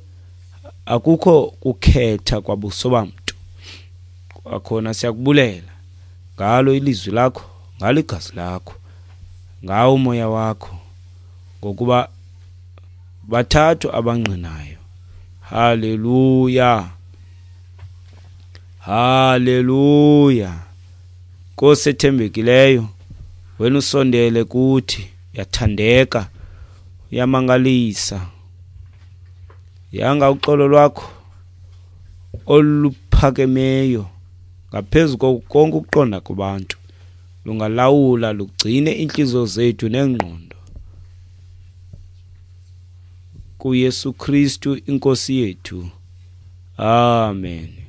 akukho kukhetha kwabuso bamntu. Kwakhona siyakubulela ngalo ilizwi lakho, ngalo igazi lakho, ngawo umoya wakho, ngokuba bathathu abangqinayo. Haleluya, haleluya. Nkosi ethembekileyo, wena usondele kuthi, uyathandeka, uyamangalisa. Yanga uxolo lwakho oluphakemeyo ngaphezu konke ukuqonda kubantu lungalawula, lugcine inhliziyo zethu nengqondo kuYesu Kristu iNkosi yethu. Amen.